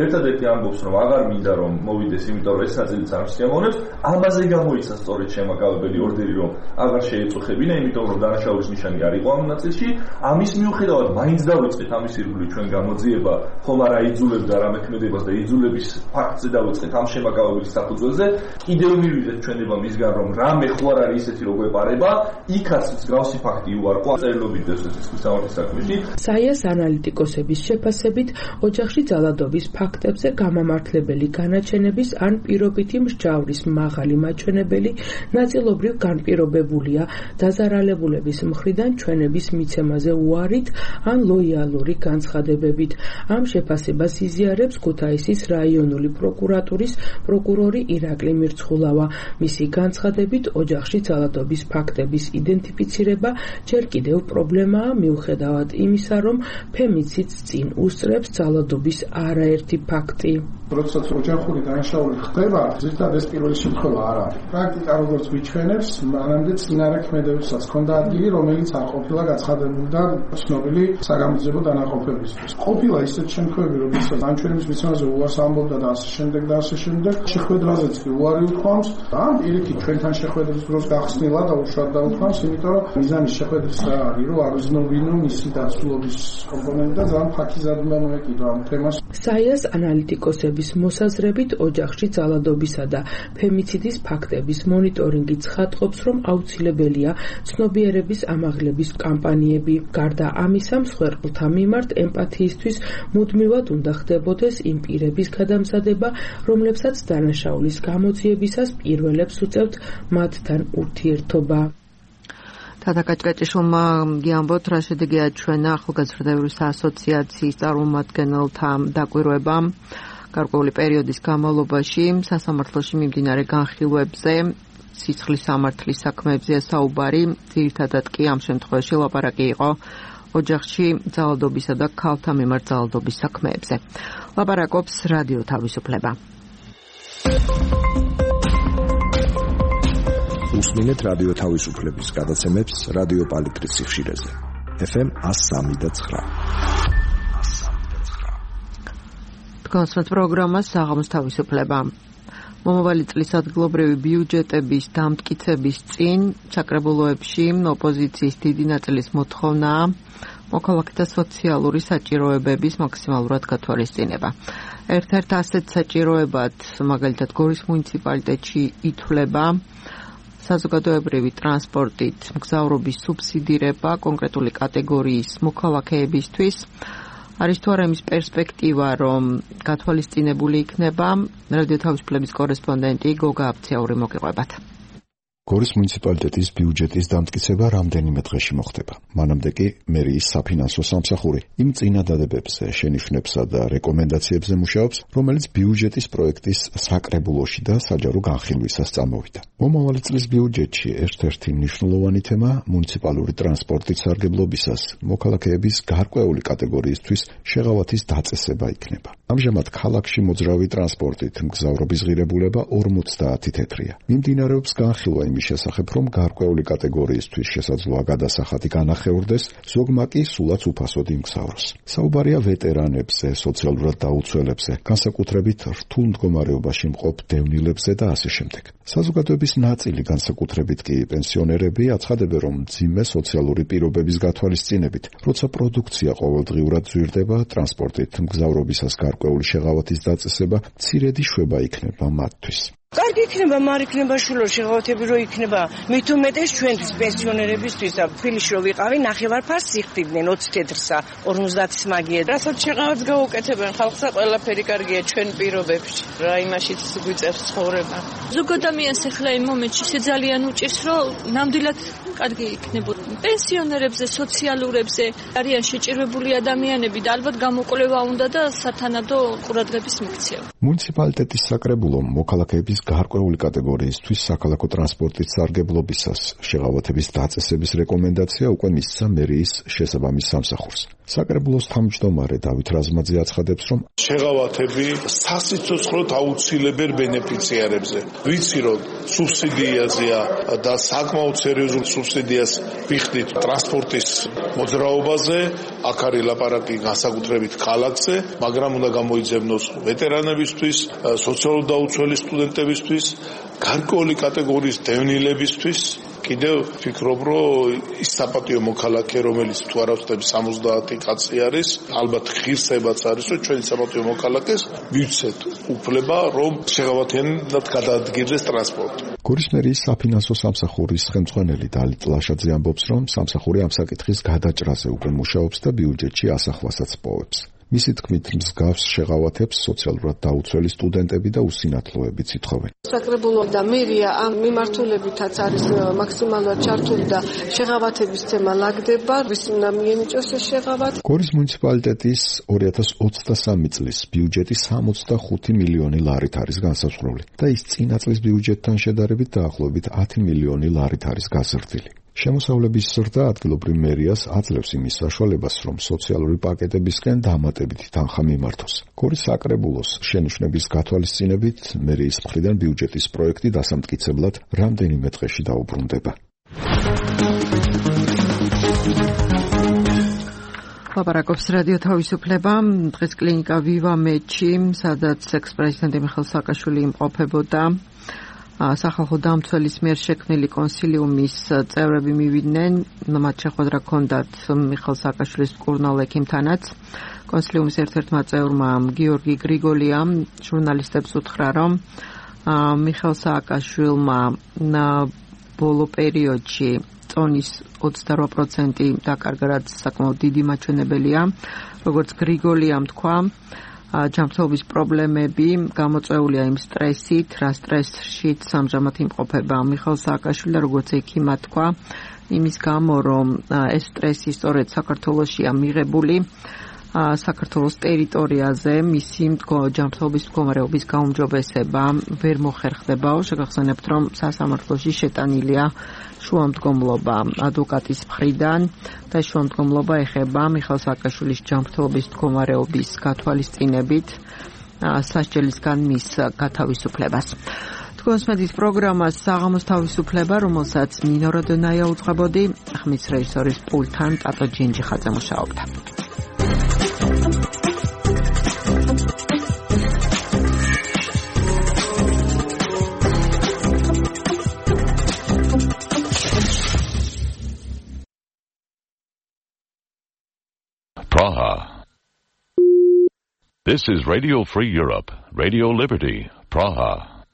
S8: ერთადერთი ამბობს, რომ აღარ მინდა რომ მოვიდეს, იმიტომ რომ ეს ნაწილიც არ შემოვნებს. ამაზე გამოიცა სწორედ შემაკავებელი ორდერი, რომ აღარ შეეწუხებინა, იმიტომ რომ დანაშაულის ნიშანი არ იყო ამ ნაწილში. ამის მიუხედავად მაინც დავიწყეთ ამის ირგვლივ ჩვენ გამოძიება, ხომ არა იძულებდა რა მექმედებას და იძულების ფაქტზე დავიწყეთ ამ შემაკავების საფუძველზე. კიდევ მივიდეთ ჩვენება მისგან, რომ რამე ხო არ არის ისეთი როგორ ეპარება, იქაც მსგავსი ფაქტი უარყო წერილობით დასწრების სამართლის საქმეში.
S7: საიას ანალიტიკოსების შეფასებით, ოჯახში ძალადობის ფაქტებზე გამამართლებელი განაჩენების ან პირობითი მსჯავრის მაღალი მაჩვენებელი ნაწილობრივ განპირობებულია დაზარალებულების მხრიდან ჩვენების მიცემაზე უარით ან ლოიალური განცხადებებით. ამ შეფასებას იზიარებს ქუთაისის რაიონული პროკურატურის პროკურორი ირაკლი მირცხულავა. მისი განცხადებით, ოჯახში ძალადობის ფაქტების იდენტიფიცირება ჯერ კიდევ პრობლემაა, მიუხედავად იმისა, რომ ფემიციდს წინ უსწრებს ძალადობის არაერთი ფაქტი.
S9: როდესაც ოჯახური დანაშაული ხდება, ზუსტად ეს პირველი შემთხვევა არ არის. პრაქტიკა როგორც მიჩვენებს, მანამდე წინარე ქმედებებსაც ჰქონდა ადგილი, რომელიც არ ყოფილა გაცხადებული და ცნობილი საგამოძიებო დანაყოფებისთვის. ყოფილა ისეთ შემთხვევები, როდესაც ამ ჩვენების მიცემაზე უარს ამბობდა და ასე შემდეგ და ასე შემდეგ. შეხვედრაზეც კი უარი უთქვამს. ამ პირიქით ჩვენთან შეხვედრის დროს გახსნილა და უშუალოდ დაუთქვამს, იმიტომ რომ მიზანი შეხვედრის რა არის, რომ აღზნობინო მისი დაცულობის კომპონენტი და ძალიან ფაქიზადმა მოეკიდა ამ თემას.
S7: საიას ანალიტიკოსების მოსაზრებით, ოჯახში ძალადობისა და ფემიციდის ფაქტების მონიტორინგი ცხადყოფს, რომ აუცილებელია ცნობიერების ამაღლების კამპანიები. გარდა ამისა, მსხვერპლთა მიმართ ემპათიისთვის მუდმივად უნდა ხდებოდეს იმ პირების გადამზადება, რომლებსაც დანაშაულის გამოძიებისას პირველებს უწევთ მათთან ურთიერთობა.
S1: თათაკაჭკაჭიშვილმა გიამბოთ, რა შედეგი აჩვენა ახალგაზრდების ასოციაციის წარმომადგენელთა დაკვირვებამ გარკვეული პერიოდის განმავლობაში სასამართლოში მიმდინარე განხილვებზე, სიცხლის სამართლის საქმეებზეა საუბარი, ძირითადად კი ამ შემთხვევაში ლაპარაკი იყო ოჯახში ძალადობისა და ქალთა მიმართ ძალადობის საქმეებზე. ლაპარაკობს რადიო თავისუფლება.
S6: უსმინეთ რადიო თავისუფლების გადაცემებს რადიო პალიტრის FM 103.9.
S1: კონსერტ პროგრამას საღამოს თავისუფლება. მომავალი წლის ადგილობრივი ბიუჯეტების დამტკიცების წინ ჩაკრებულოებში ოპოზიციის დიდი ნაწილის მოთხოვნაა მოქალაქეთა სოციალური საჭიროებების მაქსიმალურად გათვალისწინება. ერთ-ერთ ასეთ საჭიროებად, მაგალითად გორის მუნიციპალიტეტში ითვლება საზოგადოებრივი ტრანსპორტით მგზავრობის სუბსიდირება კონკრეტული კატეგორიის მოქალაქეებისთვის. არის თუ არა იმის პერსპექტივა, რომ გათვალისწინებული იქნება, რადიო თავისუფლების კორესპონდენტი გოგა აფციური მოგიყვებათ.
S6: გორის მუნიციპალიტეტის ბიუჯეტის დამტკიცება რამდენიმე დღეში მოხდება. მანამდე კი მერიის საფინანსო სამსახური იმ წინადადებებზე, შენიშვნებსა და რეკომენდაციებზე მუშაობს, რომელიც ბიუჯეტის პროექტის საკრებულოში და საჯარო განხილვისას წამოვიდა. მომავალი წლის ბიუჯეტში ერთ-ერთი მნიშვნელოვანი თემა მუნიციპალური ტრანსპორტის სარგებლობისას მოქალაქეების გარკვეული კატეგორიისთვის შეღავათის დაწესება იქნება. ამჟამად ქალაქში მოძრავი ტრანსპორტით მგზავრობის ღირებულება 50 თეთრია. მიმდინარეობს განხილვა იმის შესახებ, რომ გარკვეული კატეგორიისთვის შესაძლოა გადასახადი განახევრდეს, ზოგმა კი სულაც უფასოდ იმგზავროს. საუბარია ვეტერანებზე, სოციალურად დაუცველებზე, განსაკუთრებით რთულ მდგომარეობაში მყოფ დევნილებზე და ასე შემდეგ. საზოგადოების ნაწილი, განსაკუთრებით კი პენსიონერები, აცხადებენ, რომ მძიმე სოციალური პირობების გათვალისწინებით, როცა პროდუქცია ყოველდღიურად ზვირდება, ტრანსპორტით მგზავრობისას გარკვეული შეღავათის დაწესება მცირედი შვება იქნება მათთვის.
S10: კარგი იქნება, მარ იქნება შულო შეღავათები რო იქნება. მით უმეტეს ჩვენთვის პენსიონერებისთვის და თბილისში რო ვიყავი, ნახევარფარს სიხდიდნენ 20 თეთრსა, 50-ის მაგია. რასაც შეღავათს გაუკეთებენ ხალხსა, ყველაფერი კარგია ჩვენ პირობებში. რა იმაშიც გვიწევს ცხოვრება.
S11: ზოგ ადამიანს ახლა იმ მომენტში ძალიან უჭირს, რომ ნამდვილად კარგი იქნებოდა. პენსიონერებზე, სოციალურებზე არიან შეჭირვებული ადამიანები და ალბათ გამოკვლევა უნდა და სათანადო ყურადღების მიქცევა.
S6: მუნიციპალიტეტის საკრებულომ მოქალაქეების გარკვეული კატეგორიისთვის საქალაქო ტრანსპორტის სარგებლობისას შეღავათების დაწესების რეკომენდაცია უკვე მისცა მერიის შესაბამის სამსახურს. საკრებულოს თავმჯდომარე დავით რაზმაძე აცხადებს, რომ
S12: შეღავათები სასიცოცხლოდ აუცილებელ ბენეფიციარებზე. ვიცი, რომ სუბსიდიაზეა და საკმაოდ სერიოზულ სუბსიდიას ვიხდით ტრანსპორტის მოძრაობაზე, აქ არის ლაპარაკი განსაკუთრებით ქალაქზე, მაგრამ უნდა გამოიძებნოს ვეტერანებისთვის, სოციალურად დაუცველი სტუდენტებისთვის, გარკვეული კატეგორიის დევნილებისთვის. კიდევ ვფიქრობ, რომ ის საპატიო მოქალაქე, რომელიც თუ არ ავწდები 70 კაცი არის, ალბათ ღირსებაც არის, რომ ჩვენი საპატიო მოქალაქეს მივცეთ უფლება, რომ შეღავათიანად გადაადგილდეს ტრანსპორტი.
S6: გორის მერიის საფინანსო სამსახურის ხელმძღვანელი დალით ლაშაძე ამბობს, რომ სამსახური ამ საკითხის გადაჭრაზე უკვე მუშაობს და ბიუჯეტში ასახვასაც პოვებს. მისი თქმით, მსგავს შეღავათებს სოციალურად დაუცველი სტუდენტები და უსინათლოებიც ითხოვენ.
S13: საკრებულო და მერია ამ მიმართულებითაც არის მაქსიმალურად ჩართული და შეღავათების თემა ლაგდება, ვის უნდა მიენიჭოს ეს შეღავათი.
S6: გორის მუნიციპალიტეტის 2023 წლის ბიუჯეტი 65 მილიონი ლარით არის განსაზღვრული და ის წინა წლის ბიუჯეტთან შედარებით დაახლოებით 10 მილიონი ლარით არის გაზრდილი. შემოსავლების ზრდა ადგილობრივ მერიას აძლევს იმის საშუალებას, რომ სოციალური პაკეტებისგან დამატებითი თანხა მიმართოს. გორის საკრებულოს შენიშვნების გათვალისწინებით მერიის მხრიდან ბიუჯეტის პროექტი დასამტკიცებლად რამდენიმე დღეში დაუბრუნდება.
S1: ლაპარაკობს რადიო თავისუფლება. დღეს კლინიკა ვივა მეჩი, სადაც ექს-პრეზიდენტი მიხეილ სააკაშვილი იმყოფებოდა. სახალხო დამცველის მიერ შექმნილი კონსილიუმის წევრები მივიდნენ, მათ შეხვედრა ჰქონდათ მიხეილ სააკაშვილის მკურნალ ექიმთანაც. კონსილიუმის ერთ-ერთმა წევრმა გიორგი გრიგოლიამ ჟურნალისტებს უთხრა, რომ მიხეილ სააკაშვილმა ბოლო პერიოდში წონის 28% დაკარგა, რაც საკმაოდ დიდი მაჩვენებელია. როგორც გრიგოლიამ თქვა, ჯანმრთელობის პრობლემები გამოწვეულია იმ სტრესით, რა სტრესშიც ამჟამად იმყოფება მიხეილ სააკაშვილი, როგორც ექიმმა თქვა, იმის გამო, რომ ეს სტრესი სწორედ საქართველოშია მიღებული, საქართველოს ტერიტორიაზე მისი ჯანმრთელობის მდგომარეობის გაუმჯობესება ვერ მოხერხდებაო. შეგახსენებთ, რომ სასამართლოში შეტანილია შუამდგომლობა ადვოკატის მხრიდან და შუამდგომლობა ეხება მიხეილ სააკაშვილის ჯანმრთელობის მდგომარეობის გათვალისწინებით სასჯელისგან მის გათავისუფლებას. თქვენს მედიის პროგრამას საღამოს თავისუფლება, რომელსაც ნინო როდონაია უძღვებოდი, ხმის რეჟისორის პულტთან ტატო ჯინჯიხაძე მუშაობდა.
S14: Praha. This is Radio Free Europe, Radio Liberty, Praha.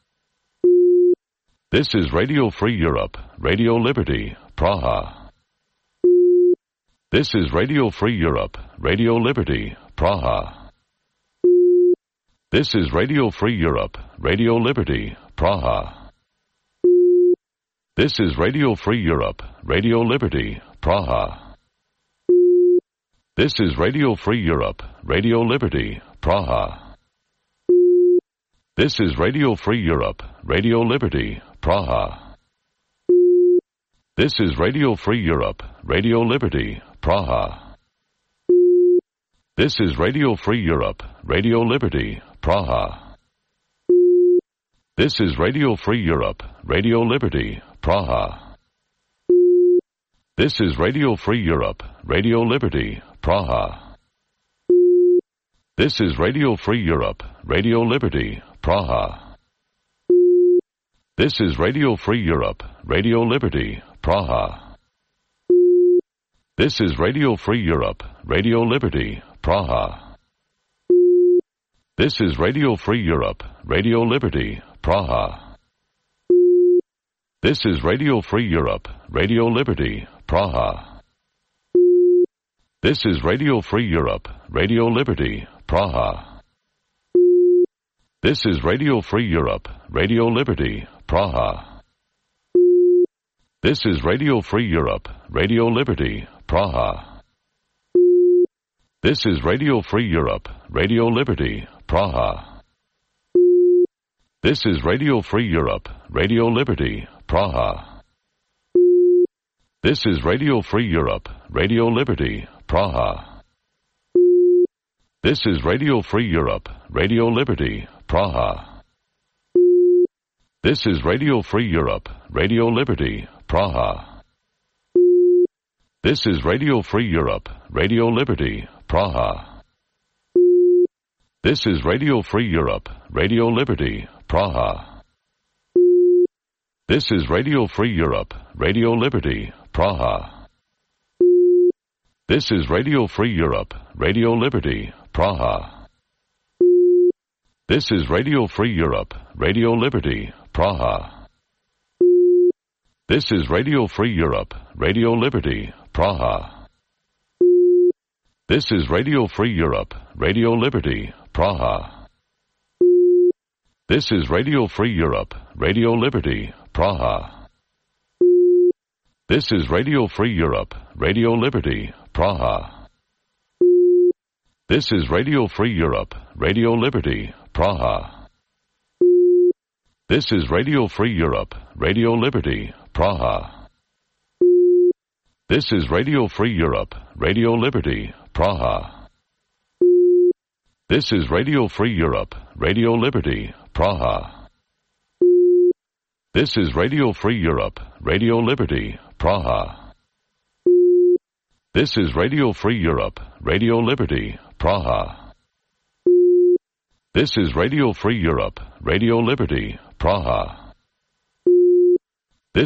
S14: This is Radio Free Europe, Radio Liberty, Praha. This is Radio Free Europe, Radio Liberty, Praha. This is Radio Free Europe, Radio Liberty, Praha. This is Radio Free Europe, Radio Liberty, Praha. This is Radio Free Europe, Radio Liberty, Praha. This is Radio Free Europe, Radio Liberty, Praha. This is Radio Free Europe, Radio Liberty, Praha. This is Radio Free Europe, Radio Liberty, Praha. This is Radio Free Europe, Radio Liberty, Praha. This is Radio Free Europe, Radio Liberty, Praha. This is Radio Free Europe, Radio Liberty, Praha. This is Radio Free Europe, Radio Liberty, Praha. This is Radio Free Europe, Radio Liberty, Praha. This is Radio Free Europe, Radio Liberty, Praha. This is Radio Free Europe, Radio Liberty, Praha. This is Radio Free Europe, Radio Liberty, Praha. This is Radio Free Europe, Radio Liberty, Praha. This is Radio Free Europe, Radio Liberty, Praha. This is Radio Free Europe, Radio Liberty, Praha. This is Radio Free Europe, Radio Liberty, Praha. This is Radio Free Europe, Radio Liberty, Praha. This is Radio Free Europe, Radio Liberty, Praha. This is Radio Free Europe, Radio Liberty, Praha. This is Radio Free Europe, Radio Liberty, Praha. This is Radio Free Europe, Radio Liberty, Praha. This is Radio Free Europe, Radio Liberty, Praha. This is Radio Free Europe, Radio Liberty, Praha. This is Radio Free Europe, Radio Liberty, Praha. This is Radio Free Europe, Radio Liberty, Praha. This is Radio Free Europe, Radio Liberty, Praha. This is Radio Free Europe, Radio Liberty, Praha. This is Radio Free Europe, Radio Liberty, Praha. This is Radio Free Europe, Radio Liberty, Praha. This is Radio Free Europe, Radio Liberty, Praha. This is Radio Free Europe, Radio Liberty, Praha. This is Radio Free Europe, Radio Liberty, Praha. This is Radio Free Europe, Radio Liberty, Praha. This is Radio Free Europe, Radio Liberty, Praha. This is Radio Free Europe, Radio Liberty, Praha. This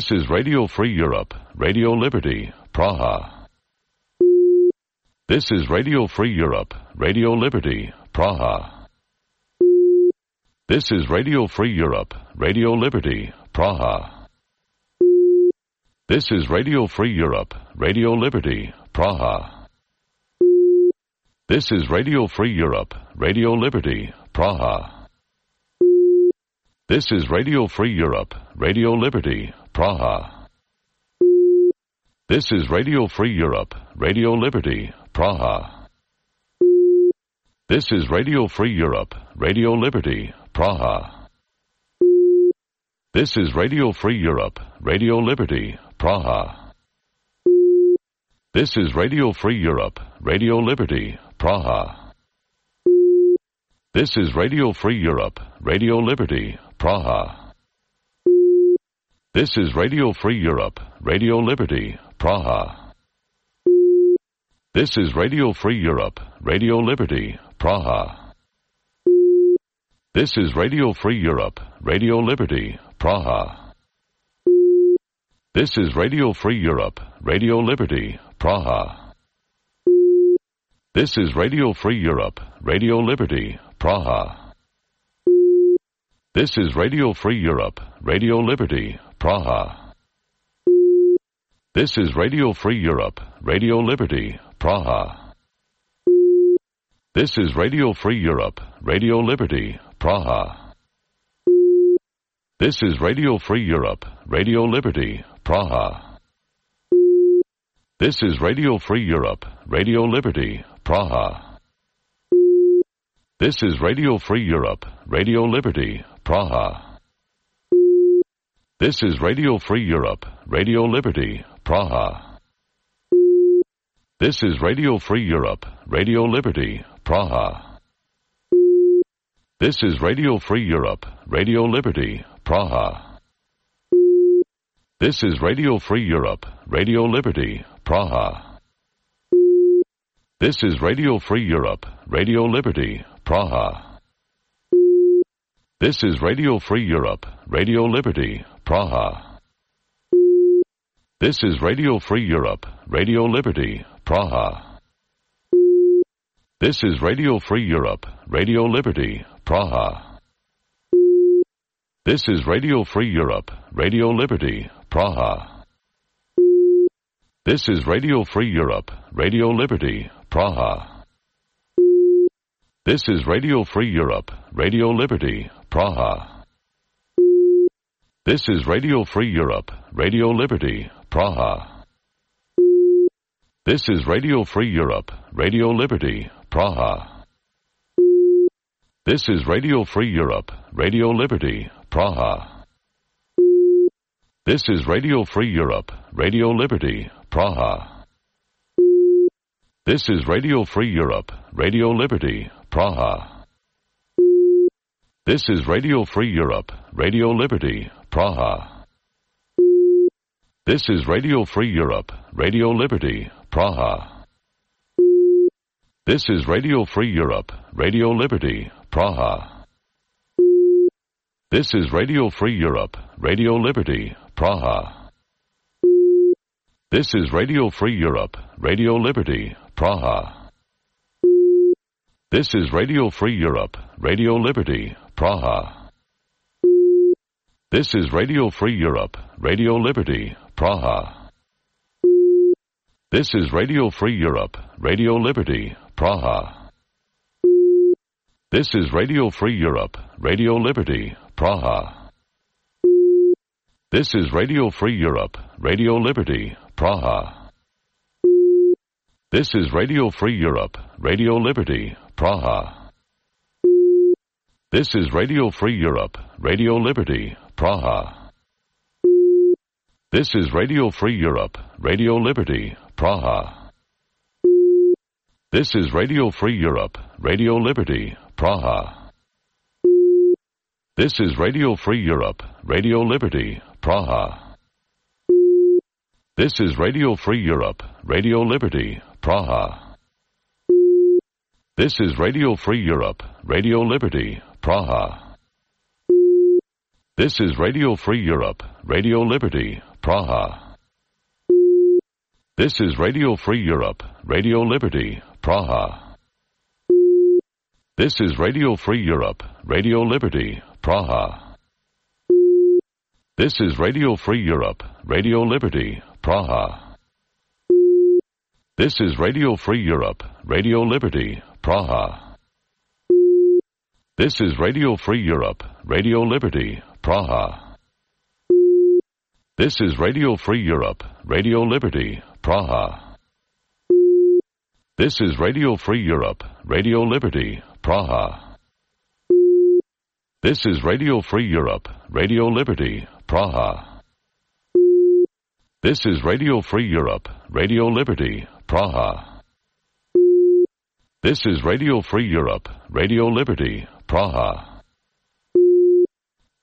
S14: is Radio Free Europe, Radio Liberty, Praha. This is Radio Free Europe, Radio Liberty, Praha. This is Radio Free Europe, Radio Liberty, Praha. This is Radio Free Europe, Radio Liberty, Praha. This is Radio Free Europe, Radio Liberty, Praha. This is Radio Free Europe, Radio Liberty, Praha. This is Radio Free Europe, Radio Liberty, Praha. This is Radio Free Europe, Radio Liberty, Praha. This is Radio Free Europe, Radio Liberty, Praha. This is Radio Free Europe, Radio Liberty, Praha. This is Radio Free Europe, Radio Liberty, Praha. This is Radio Free Europe, Radio Liberty, Praha. This is Radio Free Europe, Radio Liberty, Praha. This is Radio Free Europe, Radio Liberty, Praha. This is Radio Free Europe, Radio Liberty, Praha. This is Radio Free Europe, Radio Liberty, Praha. This is Radio Free Europe, Radio Liberty, Praha. This is Radio Free Europe, Radio Liberty, Praha. This is Radio Free Europe, Radio Liberty, Praha. This is Radio Free Europe, Radio Liberty, Praha. This is Radio Free Europe, Radio Liberty, Praha. This is Radio Free Europe, Radio Liberty, Praha. This is Radio Free Europe, Radio Liberty, Praha. This is Radio Free Europe, Radio Liberty, Praha. This is Radio Free Europe, Radio Liberty, Praha. This is Radio Free Europe, Radio Liberty, Praha. This is Radio Free Europe, Radio Liberty, Praha. This is Radio Free Europe, Radio Liberty, Praha. This is Radio Free Europe, Radio Liberty, Praha. This is Radio Free Europe, Radio Liberty, Praha. This is Radio Free Europe, Radio Liberty, Praha. This is Radio Free Europe, Radio Liberty, Praha. This is Radio Free Europe, Radio Liberty, Praha. This is Radio Free Europe, Radio Liberty, Praha. This is Radio Free Europe, Radio Liberty, Praha. This is Radio Free Europe, Radio Liberty, Praha. This is Radio Free Europe, Radio Liberty, Praha. This is Radio Free Europe, Radio Liberty, Praha. This is Radio Free Europe, Radio Liberty, Praha. This is Radio Free Europe, Radio Liberty, Praha. This is Radio Free Europe, Radio Liberty, Praha. This is Radio Free Europe, Radio Liberty, Praha. This is Radio Free Europe, Radio Liberty, Praha. This is Radio Free Europe, Radio Liberty, Praha. This is Radio Free Europe, Radio Liberty, Praha. This is Radio Free Europe, Radio Liberty, Praha. This is Radio Free Europe, Radio Liberty, Praha. This is Radio Free Europe, Radio Liberty, Praha. This is Radio Free Europe, Radio Liberty, Praha. This is Radio Free Europe, Radio Liberty, Praha. This is Radio Free Europe, Radio Liberty, Praha. This is Radio Free Europe, Radio Liberty, Praha. This is Radio Free Europe, Radio Liberty, Praha. This is Radio Free Europe, Radio Liberty, Praha. This is Radio Free Europe, Radio Liberty, Praha. This is Radio Free Europe, Radio Liberty, Praha. This is Radio Free Europe, Radio Liberty, Praha. This is Radio Free Europe, Radio Liberty, Praha. This is Radio Free Europe, Radio Liberty, Praha. This is Radio Free Europe, Radio Liberty, Praha. This is Radio Free Europe, Radio Liberty, Praha. This is Radio Free Europe, Radio Liberty, Praha. This is Radio Free Europe, Radio Liberty, Praha. This is Radio Free Europe, Radio Liberty, Praha. This is Radio Free Europe, Radio Liberty, Praha. This is Radio Free Europe, Radio Liberty, Praha.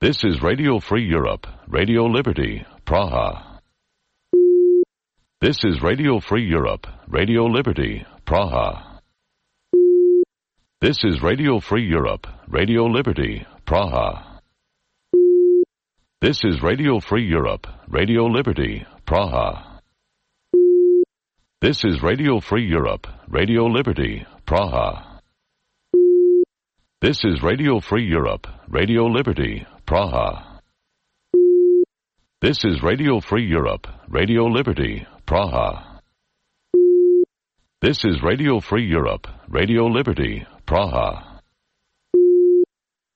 S14: This is Radio Free Europe, Radio Liberty, Praha. This is Radio Free Europe, Radio Liberty, Praha. This is Radio Free Europe, Radio Liberty, Praha. This is Radio Free Europe, Radio Liberty, Praha. This is Radio Free Europe, Radio Liberty, Praha. This is Radio Free Europe, Radio Liberty, Praha. This is Radio Free Europe, Radio Liberty, Praha. This is Radio Free Europe, Radio Liberty, Praha.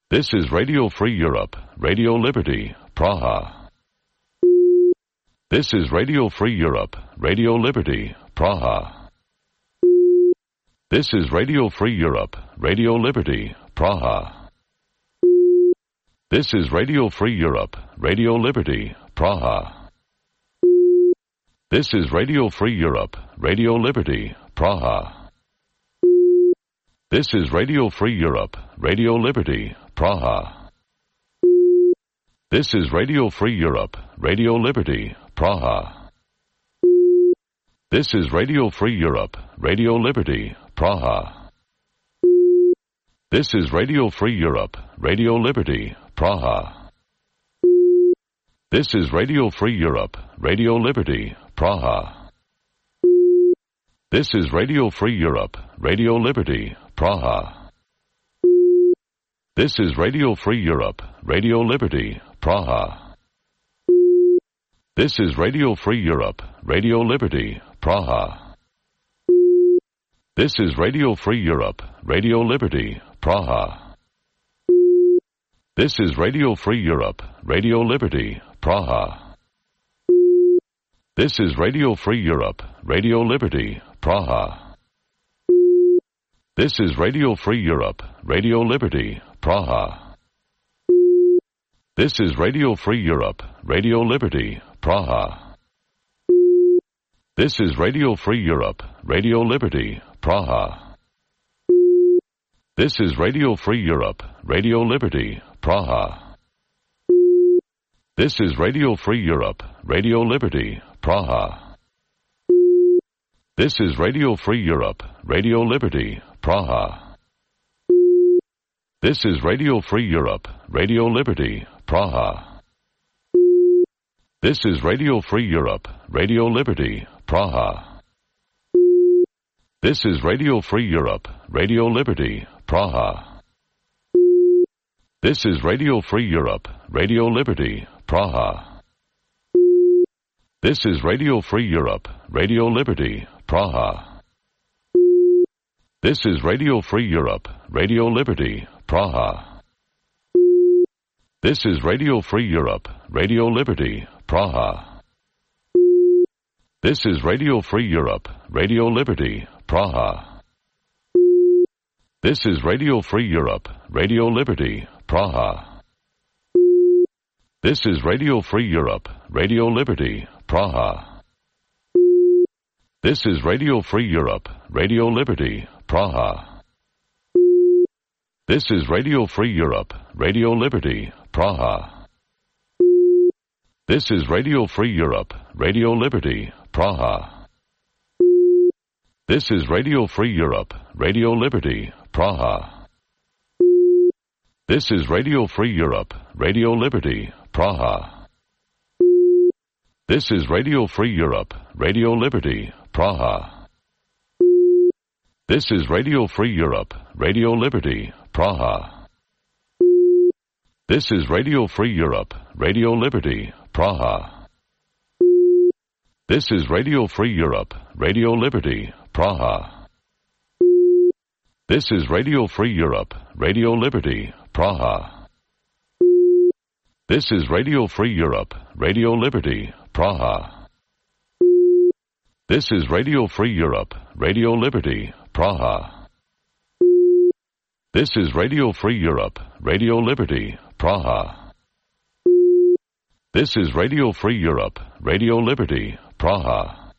S14: This is Radio Free Europe, Radio Liberty, Praha. This is Radio Free Europe, Radio Liberty, Praha. This is Radio Free Europe, Radio Liberty, Praha. This is Radio Free Europe, Radio Liberty, Praha. This is Radio Free Europe, Radio Liberty, Praha. This is Radio Free Europe, Radio Liberty, Praha. This is Radio Free Europe, Radio Liberty, Praha. This is Radio Free Europe, Radio Liberty, Praha. This is Radio Free Europe, Radio Liberty, Praha. This is Radio Free Europe, Radio Liberty, Praha. This is Radio Free Europe, Radio Liberty, Praha. This is Radio Free Europe, Radio Liberty, Praha. This is Radio Free Europe, Radio Liberty, Praha. This is Radio Free Europe, Radio Liberty, Praha. This is Radio Free Europe, Radio Liberty, Praha. This is Radio Free Europe, Radio Liberty, Praha. This is Radio Free Europe, Radio Liberty, Praha. This is Radio Free Europe, Radio Liberty, Praha. This is Radio Free Europe, Radio Liberty, Praha. This is Radio Free Europe, Radio Liberty, Praha. This is Radio Free Europe, Radio Liberty, Praha. This is Radio Free Europe, Radio Liberty, Praha. This is Radio Free Europe, Radio Liberty, Praha. This is Radio Free Europe, Radio Liberty, Praha. This is Radio Free Europe, Radio Liberty, Praha. This is Radio Free Europe, Radio Liberty, Praha. This is Radio Free Europe, Radio Liberty, Praha. This is Radio Free Europe, Radio Liberty, Praha. This is Radio Free Europe, Radio Liberty, Praha. This is Radio Free Europe, Radio Liberty, Praha. This is Radio Free Europe, Radio Liberty, Praha. This is Radio Free Europe, Radio Liberty, Praha. This is Radio Free Europe, Radio Liberty, Praha. This is Radio Free Europe, Radio Liberty, Praha. This is Radio Free Europe, Radio Liberty, Praha. This is Radio Free Europe, Radio Liberty, Praha. This is Radio Free Europe, Radio Liberty, Praha. This is Radio Free Europe, Radio Liberty, Praha. This is Radio Free Europe, Radio Liberty, Praha. This is Radio Free Europe, Radio Liberty, Praha. This is Radio Free Europe, Radio Liberty, Praha. This is Radio Free Europe, Radio Liberty, Praha. This is Radio Free Europe, Radio Liberty, Praha. This is Radio Free Europe, Radio Liberty, Praha. This is Radio Free Europe, Radio Liberty, Praha. This is Radio Free Europe, Radio Liberty, Praha.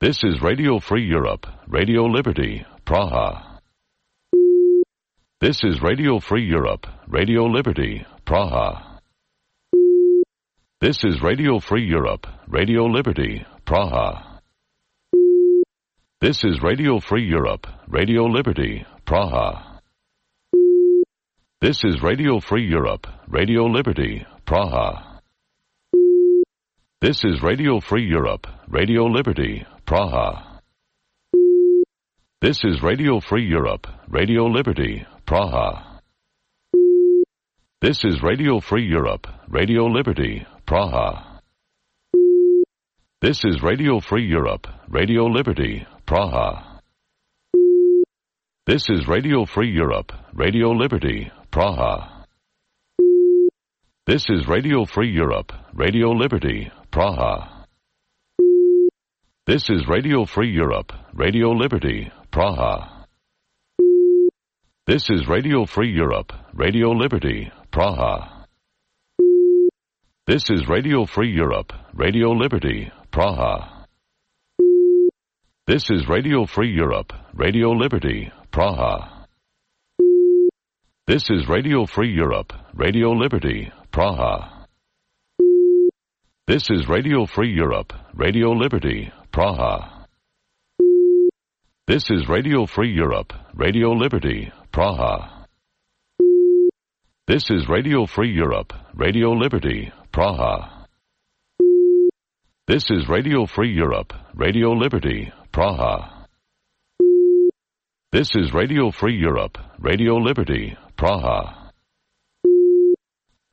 S14: This is Radio Free Europe, Radio Liberty, Praha. This is Radio Free Europe, Radio Liberty, Praha. This is Radio Free Europe, Radio Liberty, Praha. This is Radio Free Europe, Radio Liberty, Praha. This is Radio Free Europe, Radio Liberty, Praha. This is Radio Free Europe, Radio Liberty, Praha. This is Radio Free Europe, Radio Liberty, Praha. This is Radio Free Europe, Radio Liberty, Praha. This is Radio Free Europe, Radio Liberty, Praha. This is Radio Free Europe, Radio Liberty, Praha. This is Radio Free Europe, Radio Liberty, Praha. This is Radio Free Europe, Radio Liberty, Praha. This is Radio Free Europe, Radio Liberty, Praha. This is Radio Free Europe, Radio Liberty, Praha. This is Radio Free Europe, Radio Liberty, Praha. This is Radio Free Europe, Radio Liberty, Praha. This is Radio Free Europe, Radio Liberty, Praha. This is Radio Free Europe, Radio Liberty, Praha. This is Radio Free Europe, Radio Liberty, Praha. This is Radio Free Europe, Radio Liberty, Praha. This is Radio Free Europe, Radio Liberty, Praha.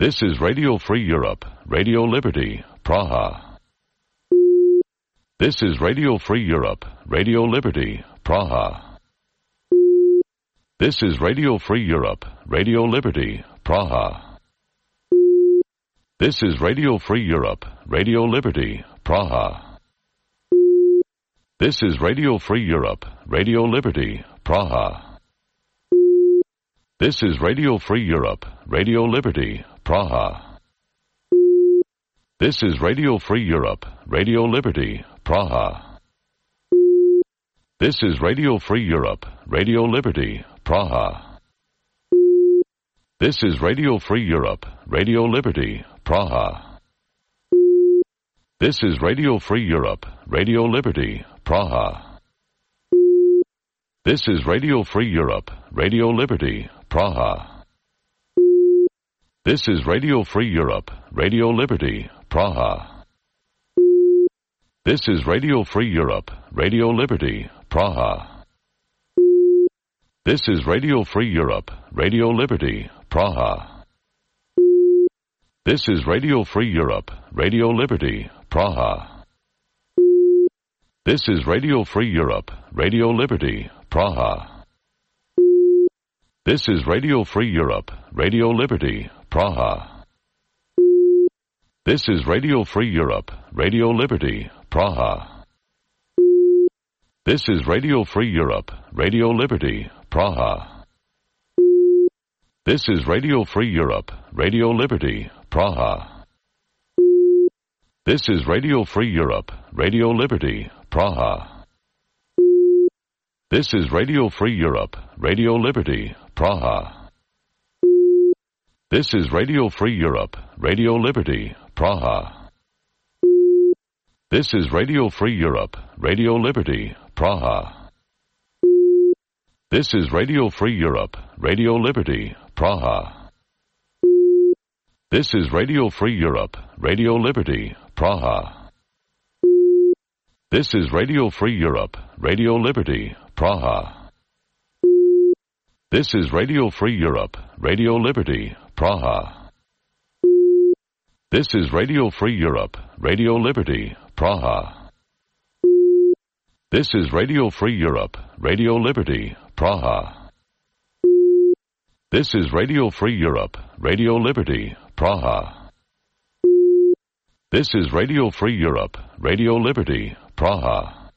S14: This is Radio Free Europe, Radio Liberty, Praha. This is Radio Free Europe, Radio Liberty, Praha. This is Radio Free Europe, Radio Liberty, Praha. This is Radio Free Europe, Radio Liberty, Praha. This is Radio Free Europe, Radio Liberty, Praha. This is Radio Free Europe, Radio Liberty, Praha. This is Radio Free Europe, Radio Liberty, Praha. This is Radio Free Europe, Radio Liberty, Praha. This is Radio Free Europe, Radio Liberty, Praha. This is Radio Free Europe, Radio Liberty, Praha. This is Radio Free Europe, Radio Liberty, Praha. This is Radio Free Europe, Radio Liberty, Praha. This is Radio Free Europe, Radio Liberty, Praha. This is Radio Free Europe, Radio Liberty, Praha. This is Radio Free Europe, Radio Liberty, Praha. This is Radio Free Europe, Radio Liberty, Praha. This is Radio Free Europe, Radio Liberty, Praha. This is Radio Free Europe, Radio Liberty, Praha. This is Radio Free Europe, Radio Liberty, Praha. This is Radio Free Europe, Radio Liberty, Praha. This is Radio Free Europe, Radio Liberty, Praha. This is Radio Free Europe, Radio Liberty, Praha. This is Radio Free Europe, Radio Liberty, Praha. This is Radio Free Europe, Radio Liberty, Praha. This is Radio Free Europe, Radio Liberty, Praha. This is Radio Free Europe, Radio Liberty, Praha. This is Radio Free Europe, Radio Liberty, Praha. This is Radio Free Europe, Radio Liberty, Praha. This is Radio Free Europe, Radio Liberty, Praha. This is Radio Free Europe, Radio Liberty, Praha. This is Radio Free Europe, Radio Liberty, Praha. This is Radio Free Europe, Radio Liberty, Praha.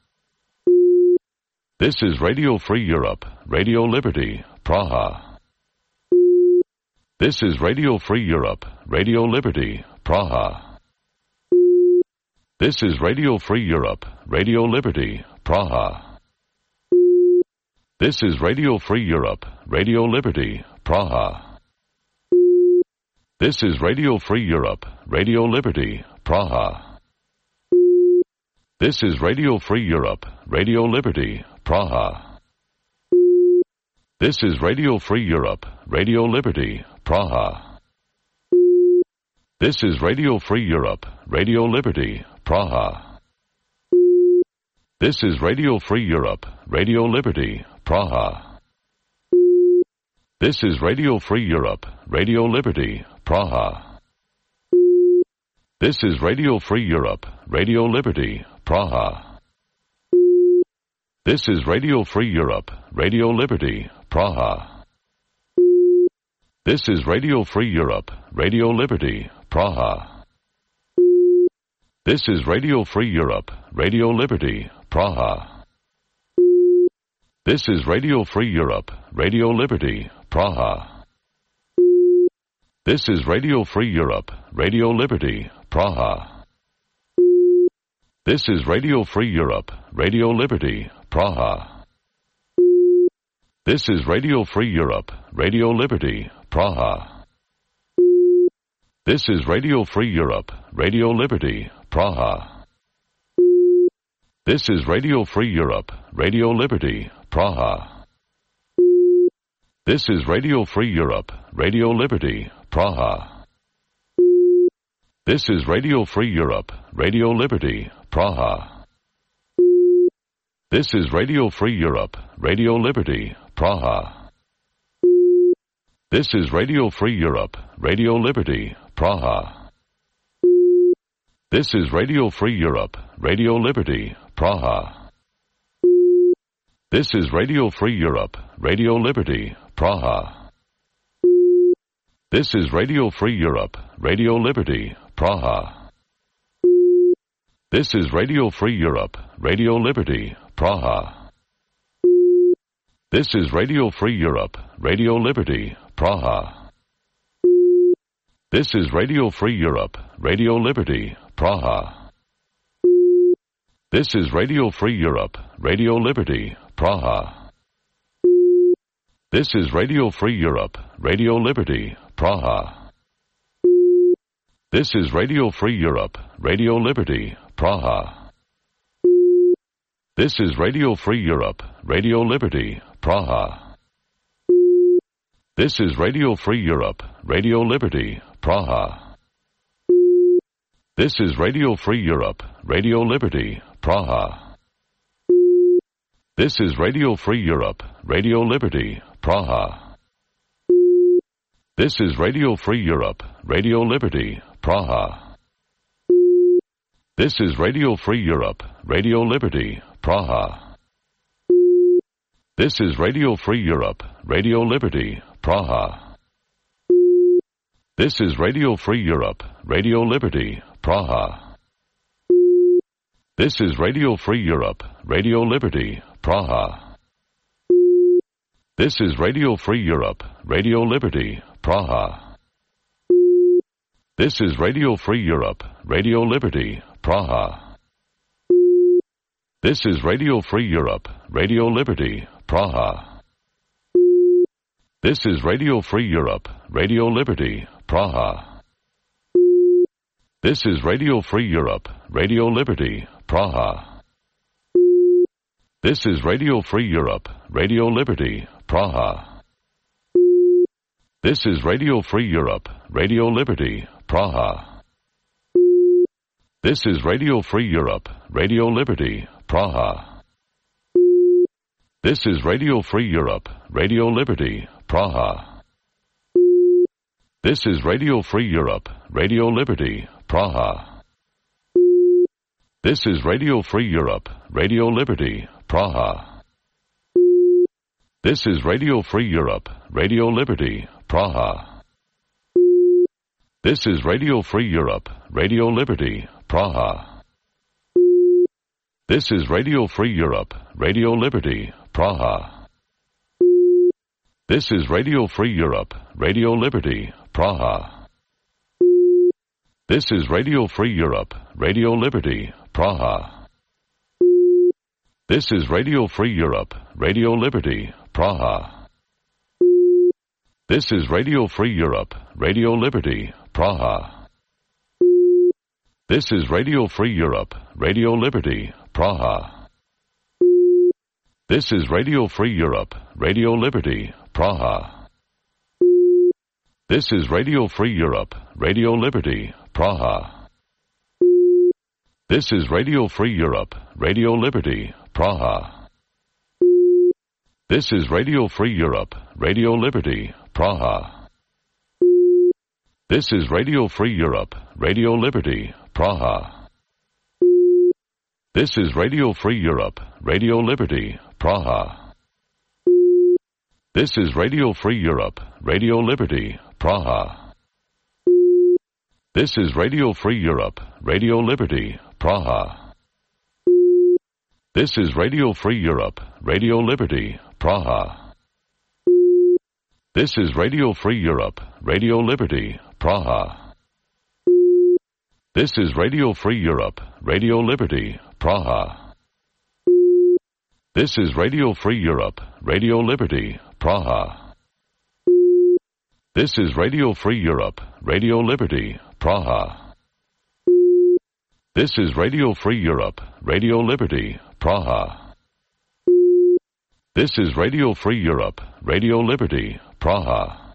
S14: This is Radio Free Europe, Radio Liberty, Praha. This is Radio Free Europe, Radio Liberty, Praha. This is Radio Free Europe, Radio Liberty, Praha. This is Radio Free Europe, Radio Liberty, Praha. This is Radio Free Europe, Radio Liberty, Praha. This is Radio Free Europe, Radio Liberty, Praha. This is Radio Free Europe, Radio Liberty, Praha. This is Radio Free Europe, Radio Liberty, Praha. This is Radio Free Europe, Radio Liberty, Praha. This is Radio Free Europe, Radio Liberty, Praha. This is Radio Free Europe, Radio Liberty, Praha. This is Radio Free Europe, Radio Liberty, Praha. This is Radio Free Europe, Radio Liberty, Praha. This is Radio Free Europe, Radio Liberty, Praha. This is Radio Free Europe, Radio Liberty, Praha. This is Radio Free Europe, Radio Liberty, Praha. This is Radio Free Europe, Radio Liberty, Praha. This is Radio Free Europe, Radio Liberty, Praha. This is Radio Free Europe, Radio Liberty, Praha. This is Radio Free Europe, Radio Liberty, Praha. This is Radio Free Europe, Radio Liberty, Praha. This is Radio Free Europe, Radio Liberty, Praha. This is Radio Free Europe, Radio Liberty, Praha. This is Radio Free Europe, Radio Liberty, Praha. This is Radio Free Europe, Radio Liberty, Praha. This is Radio Free Europe, Radio Liberty, Praha. This is Radio Free Europe, Radio Liberty, Praha. This is Radio Free Europe, Radio Liberty, Praha. This is Radio Free Europe, Radio Liberty, Praha. This is Radio Free Europe, Radio Liberty, Praha. This is Radio Free Europe, Radio Liberty, Praha. This is Radio Free Europe, Radio Liberty, Praha. This is Radio Free Europe, Radio Liberty, Praha. This is Radio Free Europe, Radio Liberty, Praha. This is Radio Free Europe, Radio Liberty, Praha. This is Radio Free Europe, Radio Liberty, Praha. This is Radio Free Europe, Radio Liberty, Praha. This is Radio Free Europe, Radio Liberty, Praha. This is Radio Free Europe, Radio Liberty, Praha. This is Radio Free Europe, Radio Liberty, Praha. This is Radio Free Europe, Radio Liberty, Praha. This is Radio Free Europe, Radio Liberty, Praha. This is Radio Free Europe, Radio Liberty, Praha. This is Radio Free Europe, Radio Liberty, Praha. This is Radio Free Europe, Radio Liberty, Praha. This is Radio Free Europe, Radio Liberty, Praha. This is Radio Free Europe, Radio Liberty, Praha. This is Radio Free Europe, Radio Liberty, Praha. This is Radio Free Europe, Radio Liberty, Praha. This is Radio Free Europe, Radio Liberty, Praha. This is Radio Free Europe, Radio Liberty, Praha. This is Radio Free Europe, Radio Liberty, Praha. This is Radio Free Europe, Radio Liberty, Praha. This is Radio Free Europe, Radio Liberty, Praha. This is Radio Free Europe, Radio Liberty, Praha. This is Radio Free Europe, Radio Liberty, Praha. This is Radio Free Europe, Radio Liberty, Praha. This is Radio Free Europe, Radio Liberty, Praha. This is Radio Free Europe, Radio Liberty, Praha. This is Radio Free Europe, Radio Liberty, Praha. This is Radio Free Europe, Radio Liberty, Praha. This is Radio Free Europe, Radio Liberty, Praha. This is Radio Free Europe, Radio Liberty, Praha. This is Radio Free Europe, Radio Liberty, Praha. This is Radio Free Europe, Radio Liberty, Praha. This is Radio Free Europe, Radio Liberty, Praha. This is Radio Free Europe, Radio Liberty, Praha. This is Radio Free Europe, Radio Liberty, Praha. This is Radio Free Europe, Radio Liberty, Praha. This is Radio Free Europe, Radio Liberty, Praha. This is Radio Free Europe, Radio Liberty, Praha. This is Radio Free Europe, Radio Liberty, Praha. This is Radio Free Europe, Radio Liberty, Praha. This is Radio Free Europe, Radio Liberty, Praha. This is Radio Free Europe, Radio Liberty, Praha. This is Radio Free Europe, Radio Liberty, Praha.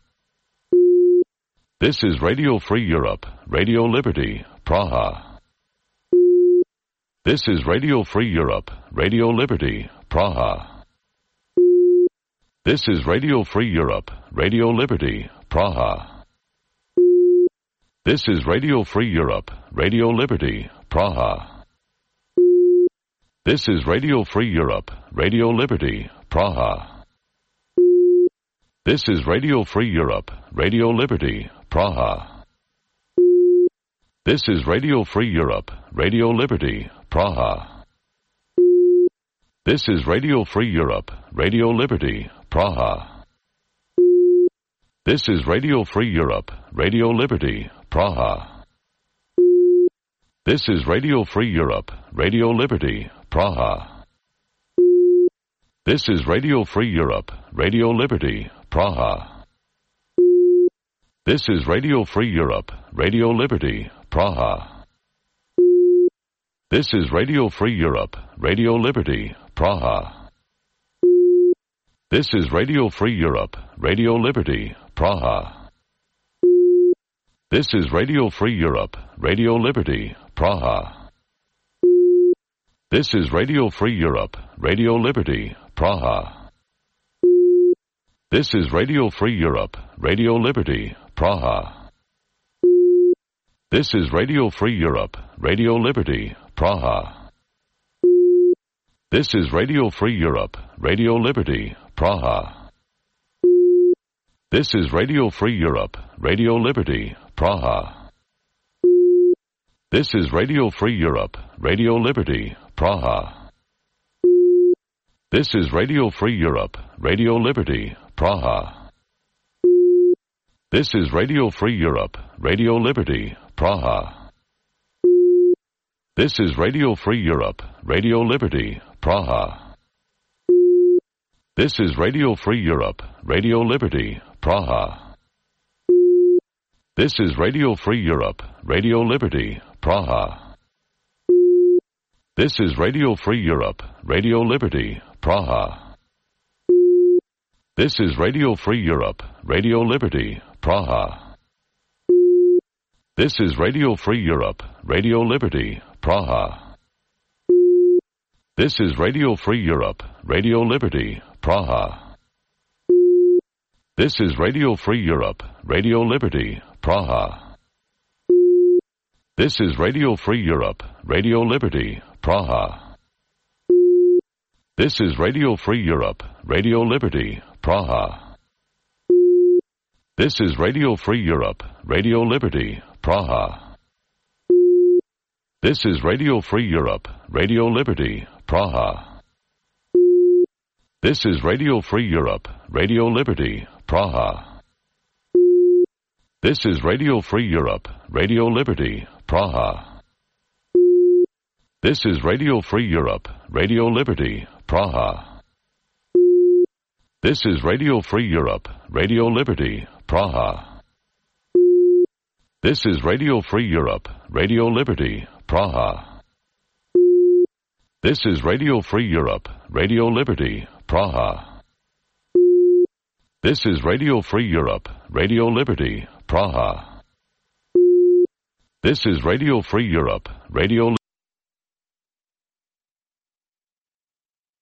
S14: This is Radio Free Europe, Radio Liberty, Praha. This is Radio Free Europe, Radio Liberty, Praha. This is Radio Free Europe, Radio Liberty, Praha. This is Radio Free Europe, Radio Liberty, Praha. This is Radio Free Europe, Radio Liberty, Praha. This is Radio Free Europe, Radio Liberty, Praha. This is Radio Free Europe, Radio Liberty, Praha. This is Radio Free Europe, Radio Liberty, Praha. This is Radio Free Europe, Radio Liberty, Praha. This is Radio Free Europe, Radio Liberty, Praha. This is Radio Free Europe, Radio Liberty, Praha. This is Radio Free Europe, Radio Liberty, Praha. This is Radio Free Europe, Radio Liberty, Praha. This is Radio Free Europe, Radio Liberty, Praha. This is Radio Free Europe, Radio Liberty, Praha. This is Radio Free Europe, Radio Liberty, Praha. This is Radio Free Europe, Radio Liberty, Praha. This is Radio Free Europe, Radio Liberty, Praha. This is Radio Free Europe, Radio Liberty, Praha. This is Radio Free Europe, Radio Liberty, Praha. This is Radio Free Europe, Radio Liberty, Praha. This is Radio Free Europe, Radio Liberty, Praha. This is Radio Free Europe, Radio Liberty, Praha. This is Radio Free Europe, Radio Liberty, Praha. This is Radio Free Europe, Radio Liberty, Praha. This is Radio Free Europe, Radio Liberty, Praha. This is Radio Free Europe, Radio Liberty, Praha. This is Radio Free Europe, Radio Liberty, Praha. This is Radio Free Europe, Radio Liberty, Praha. This is Radio Free Europe, Radio Liberty, Praha. This is Radio Free Europe, Radio Liberty, Praha. This is Radio Free Europe, Radio Liberty, Praha. This is Radio Free Europe, Radio Liberty, Praha. This is Radio Free Europe, Radio Liberty, Praha. This is Radio Free Europe, Radio Liberty, Praha. This is Radio Free Europe, Radio Liberty, Praha. This is Radio Free Europe, Radio Liberty, Praha. This is Radio Free Europe, Radio Liberty, Praha. This is Radio Free Europe, Radio Liberty, Praha. This is Radio Free Europe, Radio Liberty, Praha. This is Radio Free Europe, Radio Liberty, Praha. This is Radio Free Europe, Radio Liberty, Praha. This is Radio Free Europe, Radio